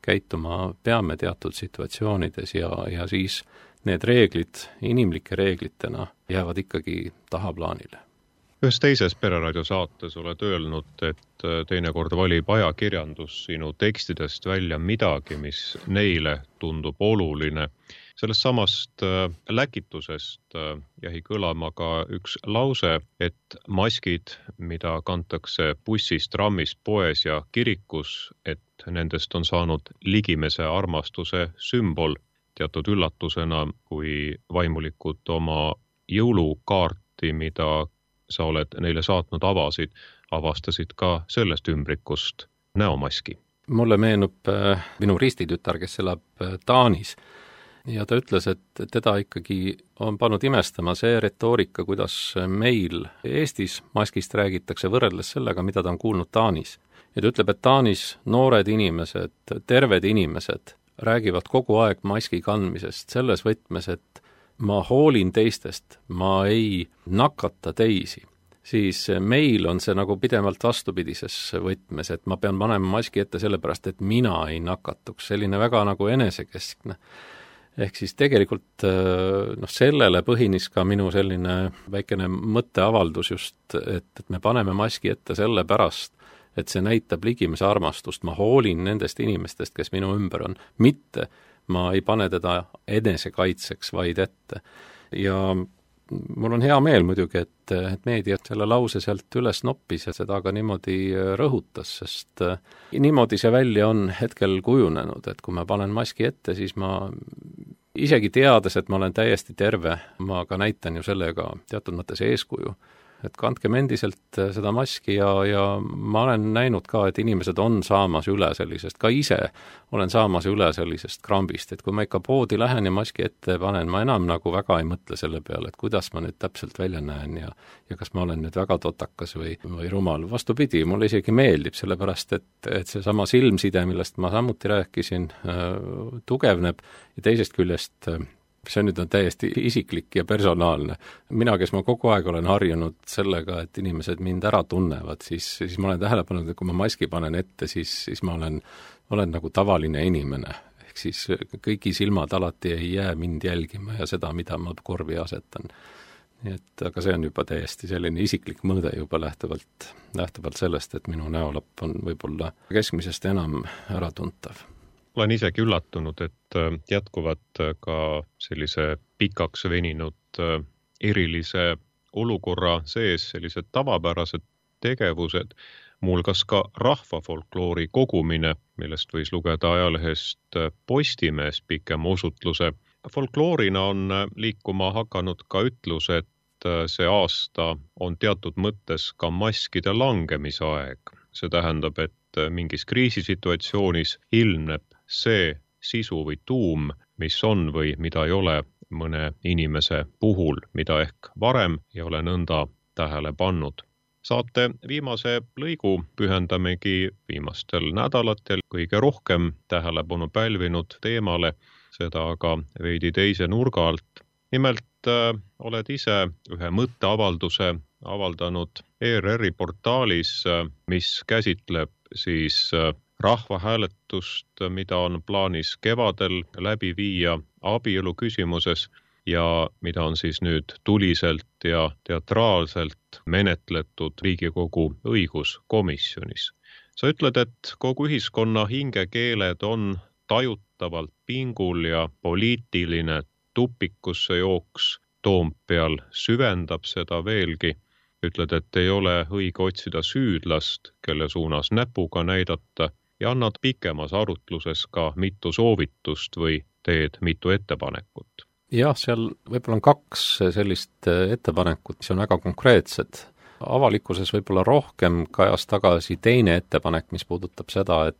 käituma peame teatud situatsioonides ja, ja siis need reeglid inimlike reeglitena jäävad ikkagi tahaplaanile. Ühes teises Pereraadio saates oled öelnud, et teinekord valib ajakirjandus sinu tekstidest välja midagi, mis neile tundub oluline. Sellest samast läkitusest jäi kõlama ka üks lause, et maskid, mida kantakse bussis, trammis, poes ja kirikus, et nendest on saanud ligimese armastuse sümbol. Teatud üllatusena, kui vaimulikud oma jõulukaarti, mida sa oled neile saatnud, avasid, avastasid ka sellest ümbrikust näomaski. Mulle meenub minu ristitütar, kes elab Taanis. Ja ta ütles, et teda ikkagi on pannud imestama see retoorika, kuidas meil Eestis maskist räägitakse võrreldes sellega, mida ta on kuulnud Taanis. Ja ta ütleb, et Taanis noored inimesed, terved inimesed räägivad kogu aeg maski kandmisest selles võtmes, et ma hoolin teistest, ma ei nakata teisi. Siis meil on see nagu pidevalt vastupidises võtmes, et ma pean panema maski ette sellepärast, et mina ei nakatuks. Selline väga nagu enesekeskne. Ehk siis tegelikult noh, sellele põhinis ka minu selline väikene mõtteavaldus just, et, et me paneme maski ette selle pärast, et see näitab ligimese armastust. Ma hoolin nendest inimestest, kes minu ümber on. Mitte ma ei pane teda enesekaitseks vaid ette. Ja mul on hea meel muidugi, et, et meedia selle lause sealt üles noppis ja seda ka niimoodi rõhutas, sest niimoodi see välja on hetkel kujunenud, et kui ma panen maski ette, siis ma isegi teades, et ma olen täiesti terve, ma ka näitan ju sellega teatud mõttes eeskuju. Et kandkem endiselt seda maski ja, ja ma olen näinud ka, et inimesed on saamas üle sellisest, ka ise olen saamas üle sellisest krambist, et kui ma ikka poodi lähen ja maski ette panen, ma enam nagu väga ei mõtle selle peale, et kuidas ma nüüd täpselt välja näen ja, ja kas ma olen nüüd väga totakas või, või rumal. Vastupidi, mulle isegi meeldib, sellepärast et, et see sama silmside, millest ma samuti rääkisin, tugevneb ja teisest küljest see nüüd on täiesti isiklik ja personaalne. Mina, kes ma kogu aeg olen harjunud sellega, et inimesed mind ära tunnevad, siis, siis ma olen tähele pannud, et kui ma maski panen ette, siis, siis ma olen, olen nagu tavaline inimene. Ehk siis kõigi silmad alati ei jää mind jälgima ja seda, mida ma korvi asetan. Nii et, aga see on juba täiesti selline isiklik mõõde juba lähtuvalt, lähtuvalt sellest, et minu näolapp on võib-olla keskmisest enam äratuntav. Olen isegi üllatunud, et jätkuvad ka sellise pikaks veninud erilise olukorra sees sellised tavapärased tegevused, muuhulgas ka rahvafolkloori kogumine, millest võis lugeda ajalehest Postimees pikema osutluse. Folkloorina on liikuma hakanud ka ütlus, et see aasta on teatud mõttes ka maskide langemise aeg. See tähendab, et mingis kriisisituatsioonis ilmneb see sisu või tuum, mis on või mida ei ole mõne inimese puhul, mida ehk varem ei ole nõnda tähele pannud. Saate viimase lõigu pühendamegi viimastel nädalatel kõige rohkem tähelepanu pälvinud teemale, seda aga veidi teise nurga alt. Nimelt äh, oled ise ühe mõtteavalduse avaldanud E R R-i portaalis, mis käsitleb siis äh, rahvahääletust, mida on plaanis kevadel läbi viia abielu küsimuses ja mida on siis nüüd tuliselt ja teatraalselt menetletud Riigikogu õiguskomisjonis. Sa ütled, et kogu ühiskonna hingekeeled on tajutavalt pingul ja poliitiline tupikusse jooks Toompeal süvendab seda veelgi. Ütled, et ei ole õige otsida süüdlast, kelle suunas näpuga näidata ja annad pikemas arutluses ka mitu soovitust või teed mitu ettepanekut. Jah, seal võib-olla on kaks sellist ettepanekut, mis on väga konkreetsed. Avalikkuses võib-olla rohkem kajas tagasi teine ettepanek, mis puudutab seda, et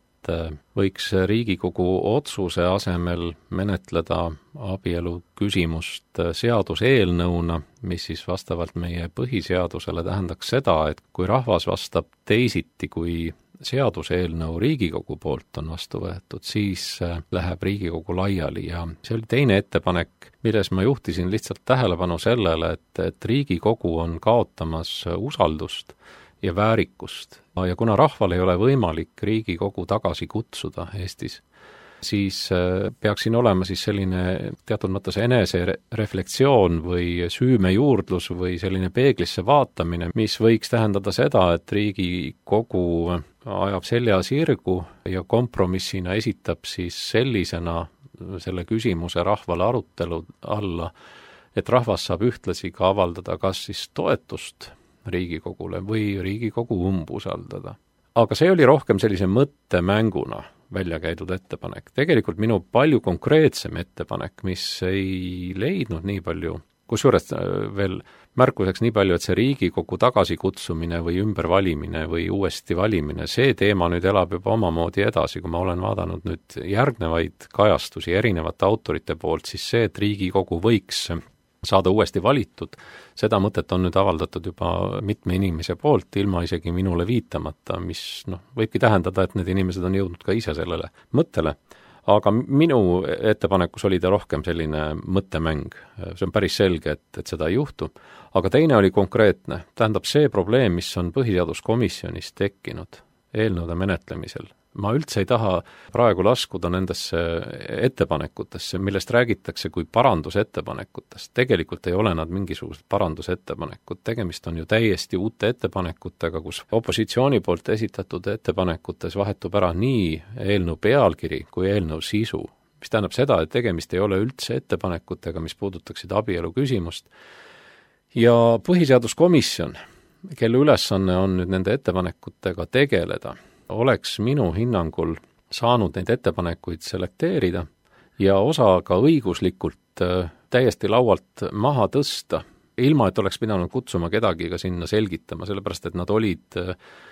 võiks Riigikogu otsuse asemel menetleda abielu küsimust seaduseelnõuna, mis siis vastavalt meie põhiseadusele tähendaks seda, et kui rahvas vastab teisiti, kui seaduseelnõu Riigikogu poolt on vastu võetud, siis läheb Riigikogu laiali ja see oli teine ettepanek, milles ma juhtisin lihtsalt tähelepanu sellele, et, et Riigikogu on kaotamas usaldust ja väärikust. Ja kuna rahval ei ole võimalik Riigikogu tagasi kutsuda Eestis, siis peaks siin olema siis selline teatud mõttes enesereflektsioon või süümejuurdlus või selline peeglisse vaatamine, mis võiks tähendada seda, et Riigikogu ajab selja sirgu ja kompromissina esitab siis sellisena selle küsimuse rahvale arutelu alla, et rahvas saab ühtlasi ka avaldada kas siis toetust Riigikogule või Riigikogu umbusaldada. Aga see oli rohkem sellise mõttemänguna välja käidud ettepanek. Tegelikult minu palju konkreetsem ettepanek, mis ei leidnud nii palju, kusjuures veel märkuseks nii palju, et see Riigikogu tagasikutsumine või ümbervalimine või uuesti valimine, see teema nüüd elab juba omamoodi edasi, kui ma olen vaadanud nüüd järgnevaid kajastusi erinevate autorite poolt, siis see, et Riigikogu võiks saada uuesti valitud, seda mõtet on nüüd avaldatud juba mitme inimese poolt, ilma isegi minule viitamata, mis noh, võibki tähendada, et need inimesed on jõudnud ka ise sellele mõttele. Aga minu ettepanekus oli ta rohkem selline mõttemäng. See on päris selge, et, et seda ei juhtu. Aga teine oli konkreetne. Tähendab see probleem, mis on põhiseaduskomisjonis tekkinud eelnõude menetlemisel. Ma üldse ei taha praegu laskuda nendesse ettepanekutesse, millest räägitakse kui parandusettepanekutest. Tegelikult ei ole nad mingisugused parandusettepanekud. Tegemist on ju täiesti uute ettepanekutega, kus opositsiooni poolt esitatud ettepanekutes vahetub ära nii eelnõu pealkiri kui eelnõu sisu, mis tähendab seda, et tegemist ei ole üldse ettepanekutega, mis puudutaksid abielu küsimust. Ja põhiseaduskomisjon, kelle ülesanne on nüüd nende ettepanekutega tegeleda, oleks minu hinnangul saanud neid ettepanekuid selekteerida ja osa ka õiguslikult täiesti laualt maha tõsta, ilma et oleks pidanud kutsuma kedagi ka sinna selgitama, sellepärast et nad olid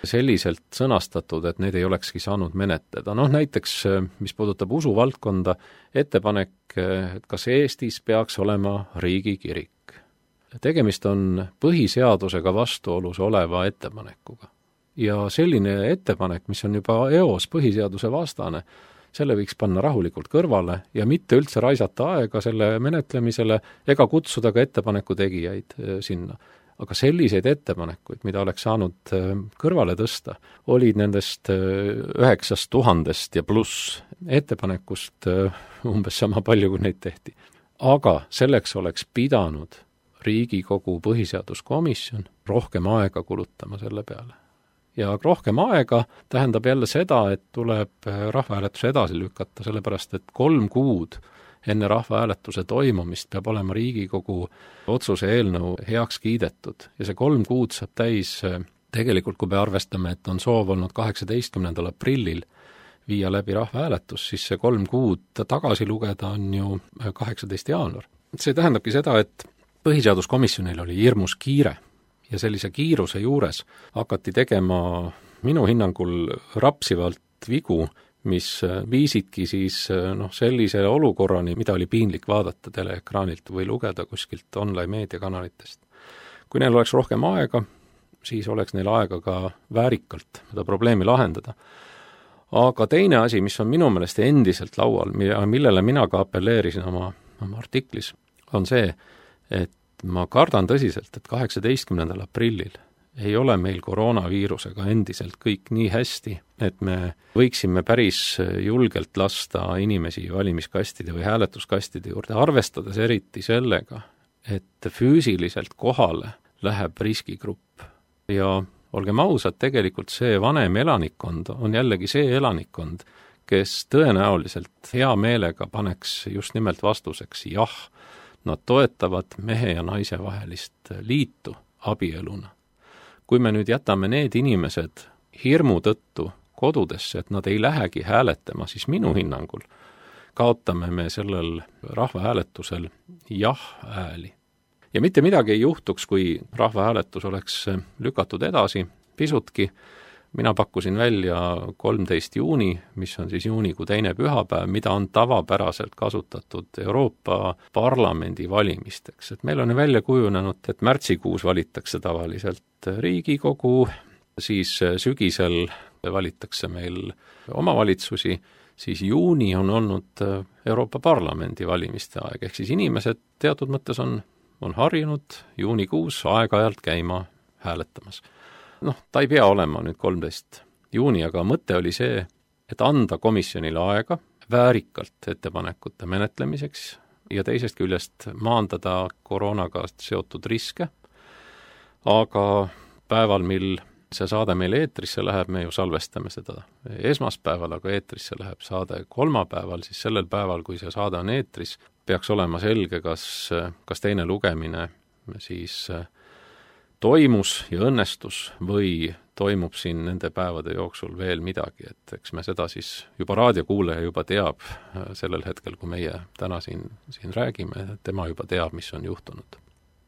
selliselt sõnastatud, et need ei olekski saanud menetleda. Noh, näiteks, mis puudutab usuvaldkonda, ettepanek, et kas Eestis peaks olema riigikirik. Tegemist on põhiseadusega vastuolus oleva ettepanekuga. Ja selline ettepanek, mis on juba eos põhiseaduse vastane, selle võiks panna rahulikult kõrvale ja mitte üldse raisata aega selle menetlemisele ega kutsuda ka ettepaneku tegijaid sinna. Aga selliseid ettepanekuid, mida oleks saanud kõrvale tõsta, olid nendest üheksast tuhandest ja pluss ettepanekust umbes sama palju, kui neid tehti. Aga selleks oleks pidanud Riigikogu põhiseaduskomisjon rohkem aega kulutama selle peale. Ja rohkem aega tähendab jälle seda, et tuleb rahvahääletuse edasi lükata, sellepärast et kolm kuud enne rahvahääletuse toimumist peab olema Riigikogu otsuse eelnõu heaks kiidetud. Ja see kolm kuud saab täis tegelikult, kui me arvestame, et on soov olnud kaheksateistkümnendal aprillil viia läbi rahvahääletus, siis see kolm kuud tagasi lugeda on ju kaheksateist jaanuar. See tähendabki seda, et põhiseaduskomisjonil oli hirmus kiire. Ja sellise kiiruse juures hakati tegema minu hinnangul rapsivalt vigu, mis viisidki siis noh, sellise olukorrani, mida oli piinlik vaadata teleekraanilt või lugeda kuskilt online meediakanalitest. Kui neil oleks rohkem aega, siis oleks neil aega ka väärikalt seda probleemi lahendada. Aga teine asi, mis on minu meelest endiselt laual, millele mina ka apelleerisin oma, oma artiklis, on see, et ma kardan tõsiselt, et kaheksateistkümnendal aprillil ei ole meil koroonaviirusega endiselt kõik nii hästi, et me võiksime päris julgelt lasta inimesi valimiskastide või hääletuskastide juurde, arvestades eriti sellega, et füüsiliselt kohale läheb riskigrupp. Ja olgem ausad, tegelikult see vanem elanikkond on jällegi see elanikkond, kes tõenäoliselt hea meelega paneks just nimelt vastuseks jah, nad toetavad mehe ja naise vahelist liitu abieluna. Kui me nüüd jätame need inimesed hirmu tõttu kodudesse, et nad ei lähegi hääletama, siis minu hinnangul kaotame me sellel rahvahääletusel jah-hääli. Ja mitte midagi ei juhtuks, kui rahvahääletus oleks lükatud edasi pisutki. Mina pakkusin välja kolmteist juuni, mis on siis juunikuu teine pühapäev, mida on tavapäraselt kasutatud Euroopa Parlamendi valimisteks. Et meil on välja kujunenud, et märtsikuus valitakse tavaliselt Riigikogu, siis sügisel valitakse meil omavalitsusi, siis juuni on olnud Euroopa Parlamendi valimiste aeg, ehk siis inimesed teatud mõttes on, on harjunud juunikuus aeg-ajalt käima hääletamas. Noh, ta ei pea olema nüüd kolmteist juuni, aga mõte oli see, et anda komisjonile aega väärikalt ettepanekute menetlemiseks ja teisest küljest maandada koroonaga seotud riske, aga päeval, mil see saade meil eetrisse läheb, me ju salvestame seda esmaspäeval, aga eetrisse läheb saade kolmapäeval, siis sellel päeval, kui see saade on eetris, peaks olema selge, kas, kas teine lugemine siis toimus ja õnnestus või toimub siin nende päevade jooksul veel midagi, et eks me seda siis juba raadiokuulaja juba teab sellel hetkel, kui meie täna siin, siin räägime, tema juba teab, mis on juhtunud.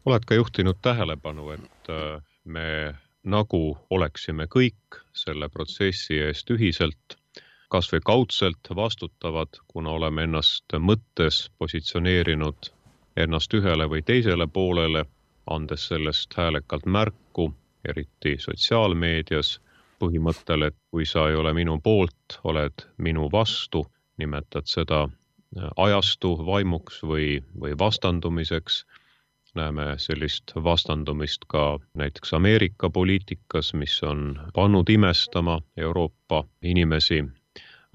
Oled ka juhtinud tähelepanu, et me nagu oleksime kõik selle protsessi eest ühiselt, kas või kaudselt vastutavad, kuna oleme ennast mõttes positsioneerinud ennast ühele või teisele poolele, andes sellest häälekalt märku, eriti sotsiaalmeedias, põhimõttel, et kui sa ei ole minu poolt, oled minu vastu, nimetad seda ajastu vaimuks või, või vastandumiseks. Näeme sellist vastandumist ka näiteks Ameerika poliitikas, mis on pannud imestama Euroopa inimesi.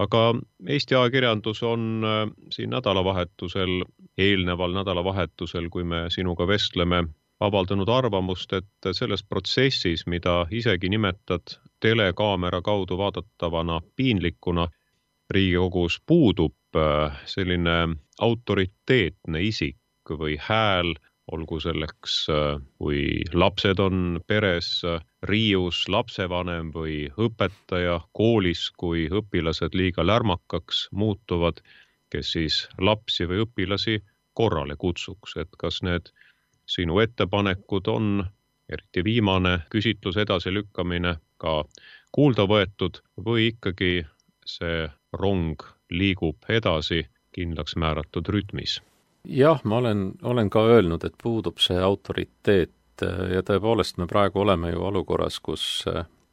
Aga Eesti ajakirjandus on siin nädalavahetusel, eelneval nädalavahetusel, kui me sinuga vestleme, avaldanud arvamust, et selles protsessis, mida isegi nimetad telekaamera kaudu vaadatavana piinlikuna, Riigikogus puudub selline autoriteetne isik või hääl, olgu selleks, kui lapsed on peres, riius lapsevanem või õpetaja koolis, kui õpilased liiga lärmakaks muutuvad, kes siis lapsi või õpilasi korrale kutsuks, et kas need sinu ettepanekud on, eriti viimane küsitlus edasilükkamine, ka kuulda võetud või ikkagi see rong liigub edasi kindlaks määratud rütmis? Jah, ma olen, olen ka öelnud, et puudub see autoriteet ja tõepoolest me praegu oleme ju olukorras, kus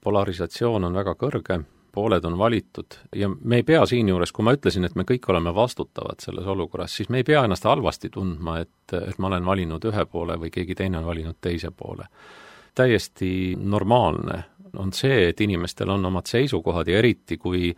polarisatsioon on väga kõrge, pooled on valitud ja me ei pea siinjuures, kui ma ütlesin, et me kõik oleme vastutavad selles olukorras, siis me ei pea ennast halvasti tundma, et, et ma olen valinud ühe poole või keegi teine on valinud teise poole. Täiesti normaalne on see, et inimestel on omad seisukohad ja eriti, kui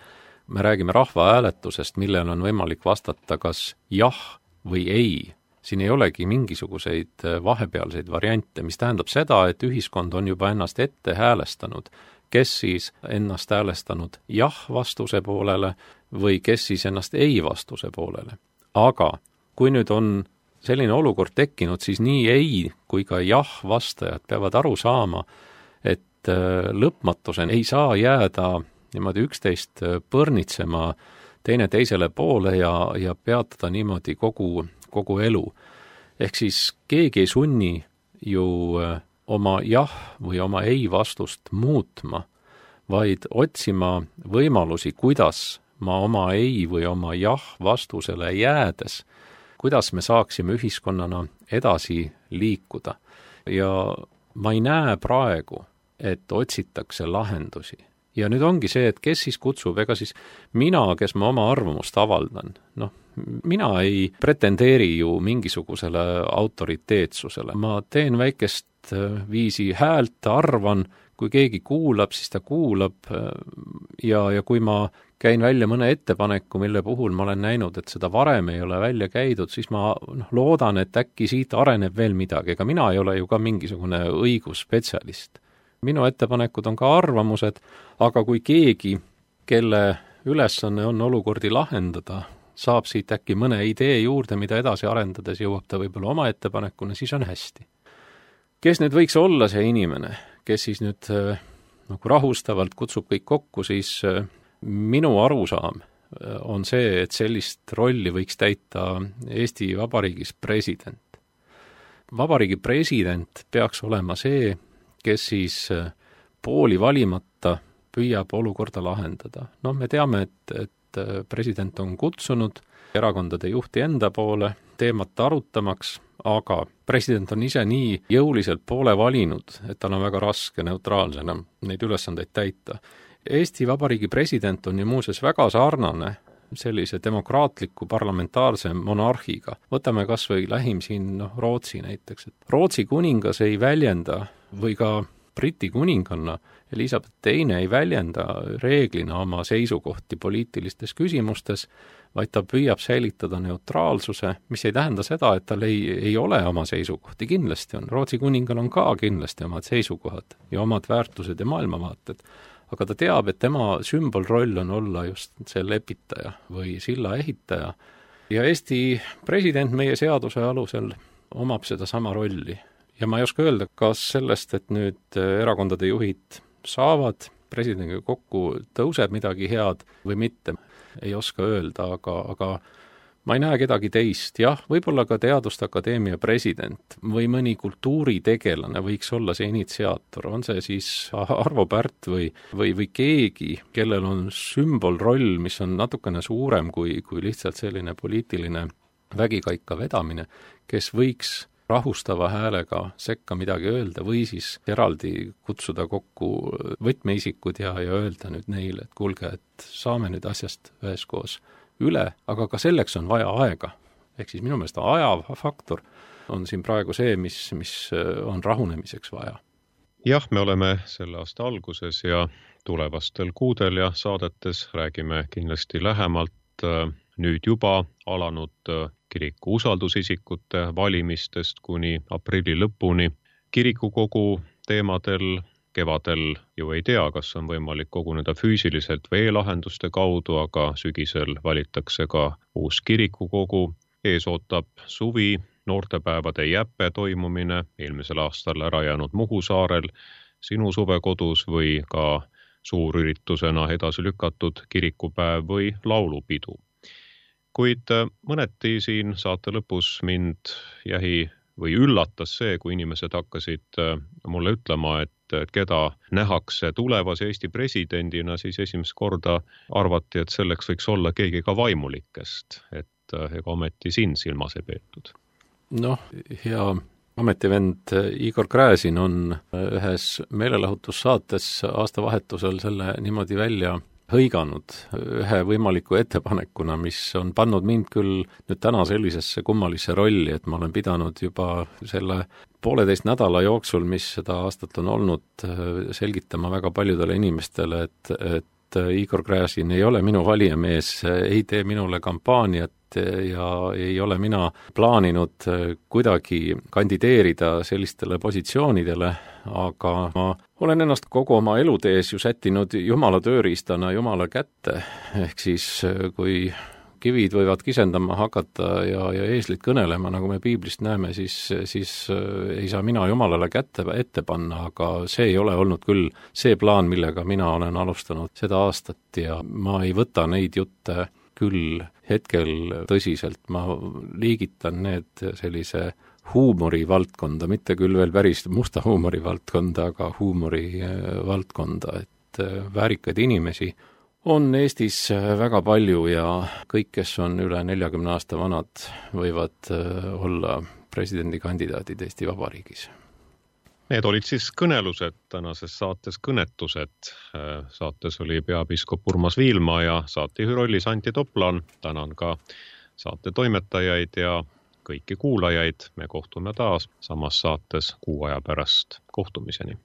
me räägime rahvahääletusest, millel on võimalik vastata kas jah või ei. Siin ei olegi mingisuguseid vahepealseid variante, mis tähendab seda, et ühiskond on juba ennast ette häälestanud, kes siis ennast häälestanud jah vastuse poolele või kes siis ennast ei vastuse poolele. Aga kui nüüd on selline olukord tekkinud, siis nii ei kui ka jah vastajad peavad aru saama, et lõpmatuseni ei saa jääda niimoodi üksteist põrnitsema teine teisele poole ja, ja peatada niimoodi kogu, kogu elu. Ehk siis keegi ei sunni ju oma jah või oma ei vastust muutma, vaid otsima võimalusi, kuidas ma oma ei või oma jah vastusele jäädes, kuidas me saaksime ühiskonnana edasi liikuda. Ja ma ei näe praegu, et otsitakse lahendusi. Ja nüüd ongi see, et kes siis kutsub, ega siis mina, kes ma oma arvamust avaldan, noh, mina ei pretendeeri ju mingisugusele autoriteetsusele. Ma teen väikest viisi häält, arvan, kui keegi kuulab, siis ta kuulab ja, ja kui ma käin välja mõne ettepaneku, mille puhul ma olen näinud, et seda varem ei ole välja käidud, siis ma noh, loodan, et äkki siit areneb veel midagi, ega mina ei ole ju ka mingisugune õigusspetsialist. Minu ettepanekud on ka arvamused, aga kui keegi, kelle ülesanne on olukordi lahendada, saab siit äkki mõne idee juurde, mida edasi arendades jõuab ta võib-olla oma ettepanekuna, siis on hästi. Kes nüüd võiks olla see inimene, kes siis nüüd äh, nagu rahustavalt kutsub kõik kokku, siis äh, minu arusaam on see, et sellist rolli võiks täita Eesti Vabariigis president. Vabariigi president peaks olema see, kes siis pooli valimata püüab olukorda lahendada. Noh, me teame, et, et president on kutsunud erakondade juhti enda poole teemat arutamaks, aga president on ise nii jõuliselt poole valinud, et tal on väga raske neutraalsena neid ülesandeid täita. Eesti Vabariigi president on ju muuseas väga sarnane sellise demokraatliku parlamentaarse monarhiga. Võtame kas või lähim siin no, Rootsi näiteks. Et Rootsi kuningas ei väljenda või ka Briti kuninganna Elizabeth teine ei väljenda reeglina oma seisukohti poliitilistes küsimustes, vaid ta püüab säilitada neutraalsuse, mis ei tähenda seda, et tal ei, ei ole oma seisukohti. Kindlasti on. Rootsi kuningal on ka kindlasti omad seisukohad ja omad väärtused ja maailmavaated. Aga ta teab, et tema sümbolroll on olla just see lepitaja või silla ehitaja. Ja Eesti president meie seaduse alusel omab seda sama rolli. Ja ma ei oska öelda, kas sellest, et nüüd erakondade juhid saavad presidendiga kokku, tõuseb midagi head või mitte, ei oska öelda, aga, aga ma ei näe kedagi teist. Jah, võib-olla ka Teaduste Akadeemia president või mõni kultuuritegelane võiks olla see initsiaator. On see siis Arvo Pärt või, või, või keegi, kellel on sümbolroll, mis on natukene suurem kui, kui lihtsalt selline poliitiline vägikaika vedamine, kes võiks rahustava häälega sekka midagi öelda või siis eraldi kutsuda kokku võtmeisikud ja, ja öelda nüüd neile, et kuulge, et saame nüüd asjast üheskoos üle, aga ka selleks on vaja aega. Ehk siis minu meelest ajafaktor on siin praegu see, mis, mis on rahunemiseks vaja. Jah, me oleme selle aasta alguses ja tulevastel kuudel ja saadetes räägime kindlasti lähemalt nüüd juba alanud kiriku usaldusisikute valimistest kuni aprilli lõpuni. Kirikukogu teemadel kevadel ju ei tea, kas on võimalik koguneda füüsiliselt või e-lahenduste kaudu, aga sügisel valitakse ka uus kirikukogu. Ees ootab suvi, noortepäevade jäppe toimumine, eelmisel aastal ära jäänud Muhu saarel, sinu suvekodus või ka suurüritusena edasi lükatud kirikupäev või laulupidu. Kuid mõneti siin saate lõpus mind jäi või üllatas see, kui inimesed hakkasid mulle ütlema, et, et keda nähakse tulevase Eesti presidendina, siis esimest korda arvati, et selleks võiks olla keegi ka vaimulikest, et ega ometi siin silmas ei peetud. Noh, hea ametivend Igor Gräzin on ühes meelelahutussaates aastavahetusel selle niimoodi välja hõiganud ühe võimaliku ettepanekuna, mis on pannud mind küll nüüd täna sellisesse kummalisse rolli, et ma olen pidanud juba selle pooleteist nädala jooksul, mis seda aastat on olnud, selgitama väga paljudele inimestele, et, et Igor Gräzin ei ole minu valijamees, ei tee minule kampaaniat ja ei ole mina plaaninud kuidagi kandideerida sellistele positsioonidele, aga ma olen ennast kogu oma elutees ju sättinud Jumala tööriistana Jumala kätte, ehk siis kui kivid võivad kisendama hakata ja, ja eeslid kõnelema, nagu me piiblist näeme, siis, siis ei saa mina Jumalale kätte ette panna, aga see ei ole olnud küll see plaan, millega mina olen alustanud seda aastat ja ma ei võta neid jutte küll hetkel tõsiselt, ma liigitan need sellise huumori valdkonda, mitte küll veel päris musta huumori valdkonda, aga huumori valdkonda, et väärikaid inimesi on Eestis väga palju ja kõik, kes on üle neljakümne aasta vanad, võivad olla presidendikandidaadid Eesti Vabariigis. Need olid siis kõnelused tänases saates Kõnetused. Saates oli peapiiskop Urmas Viilma ja saatejuhi rollis Antti Toplan. Tänan ka saate toimetajaid ja kõiki kuulajaid. Me kohtume taas samas saates kuu aja pärast. Kohtumiseni.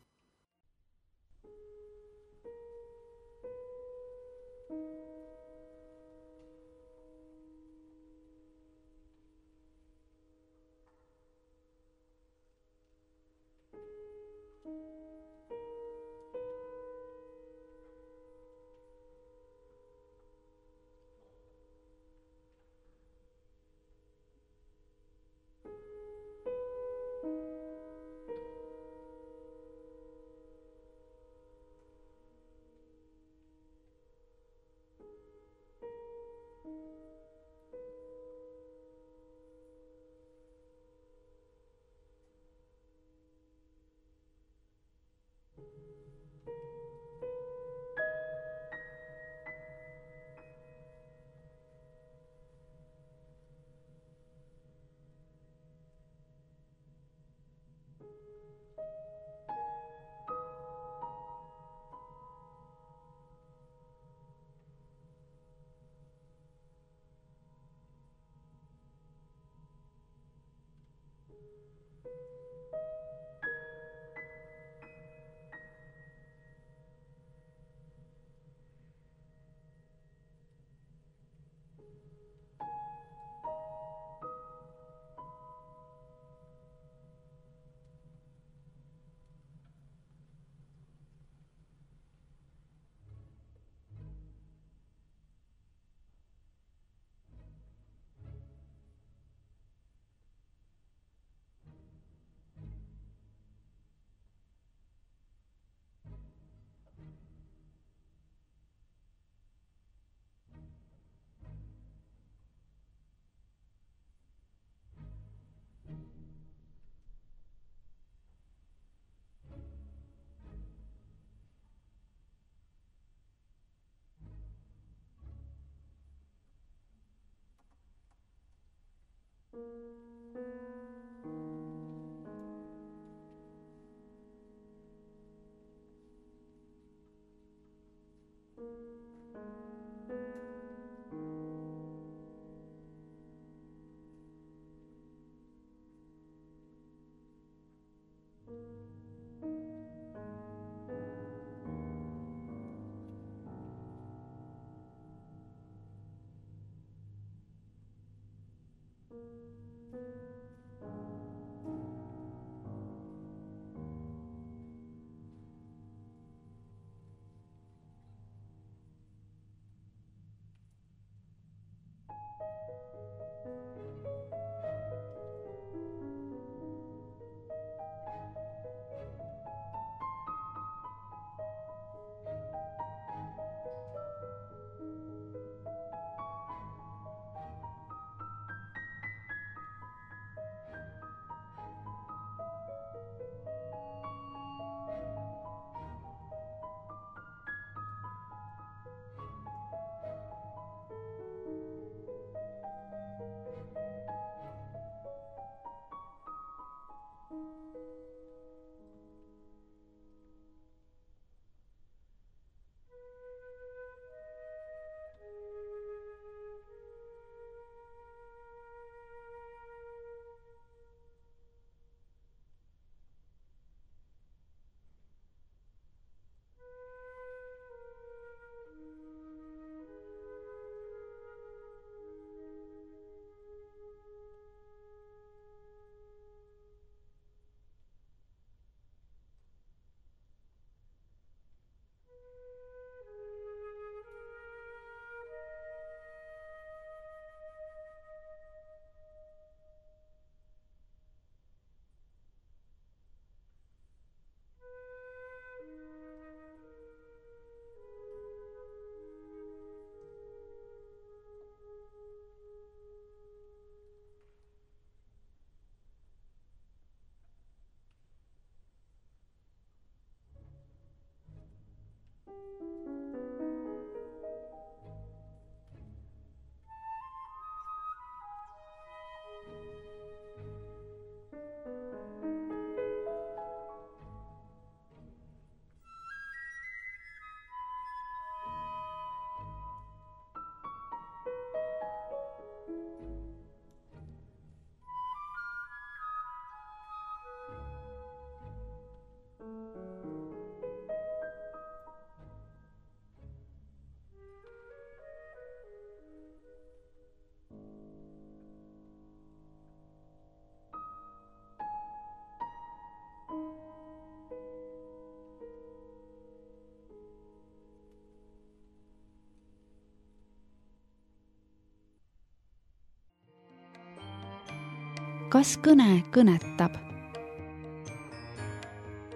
kas kõne kõnetab?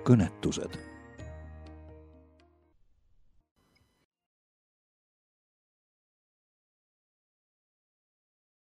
kõnetused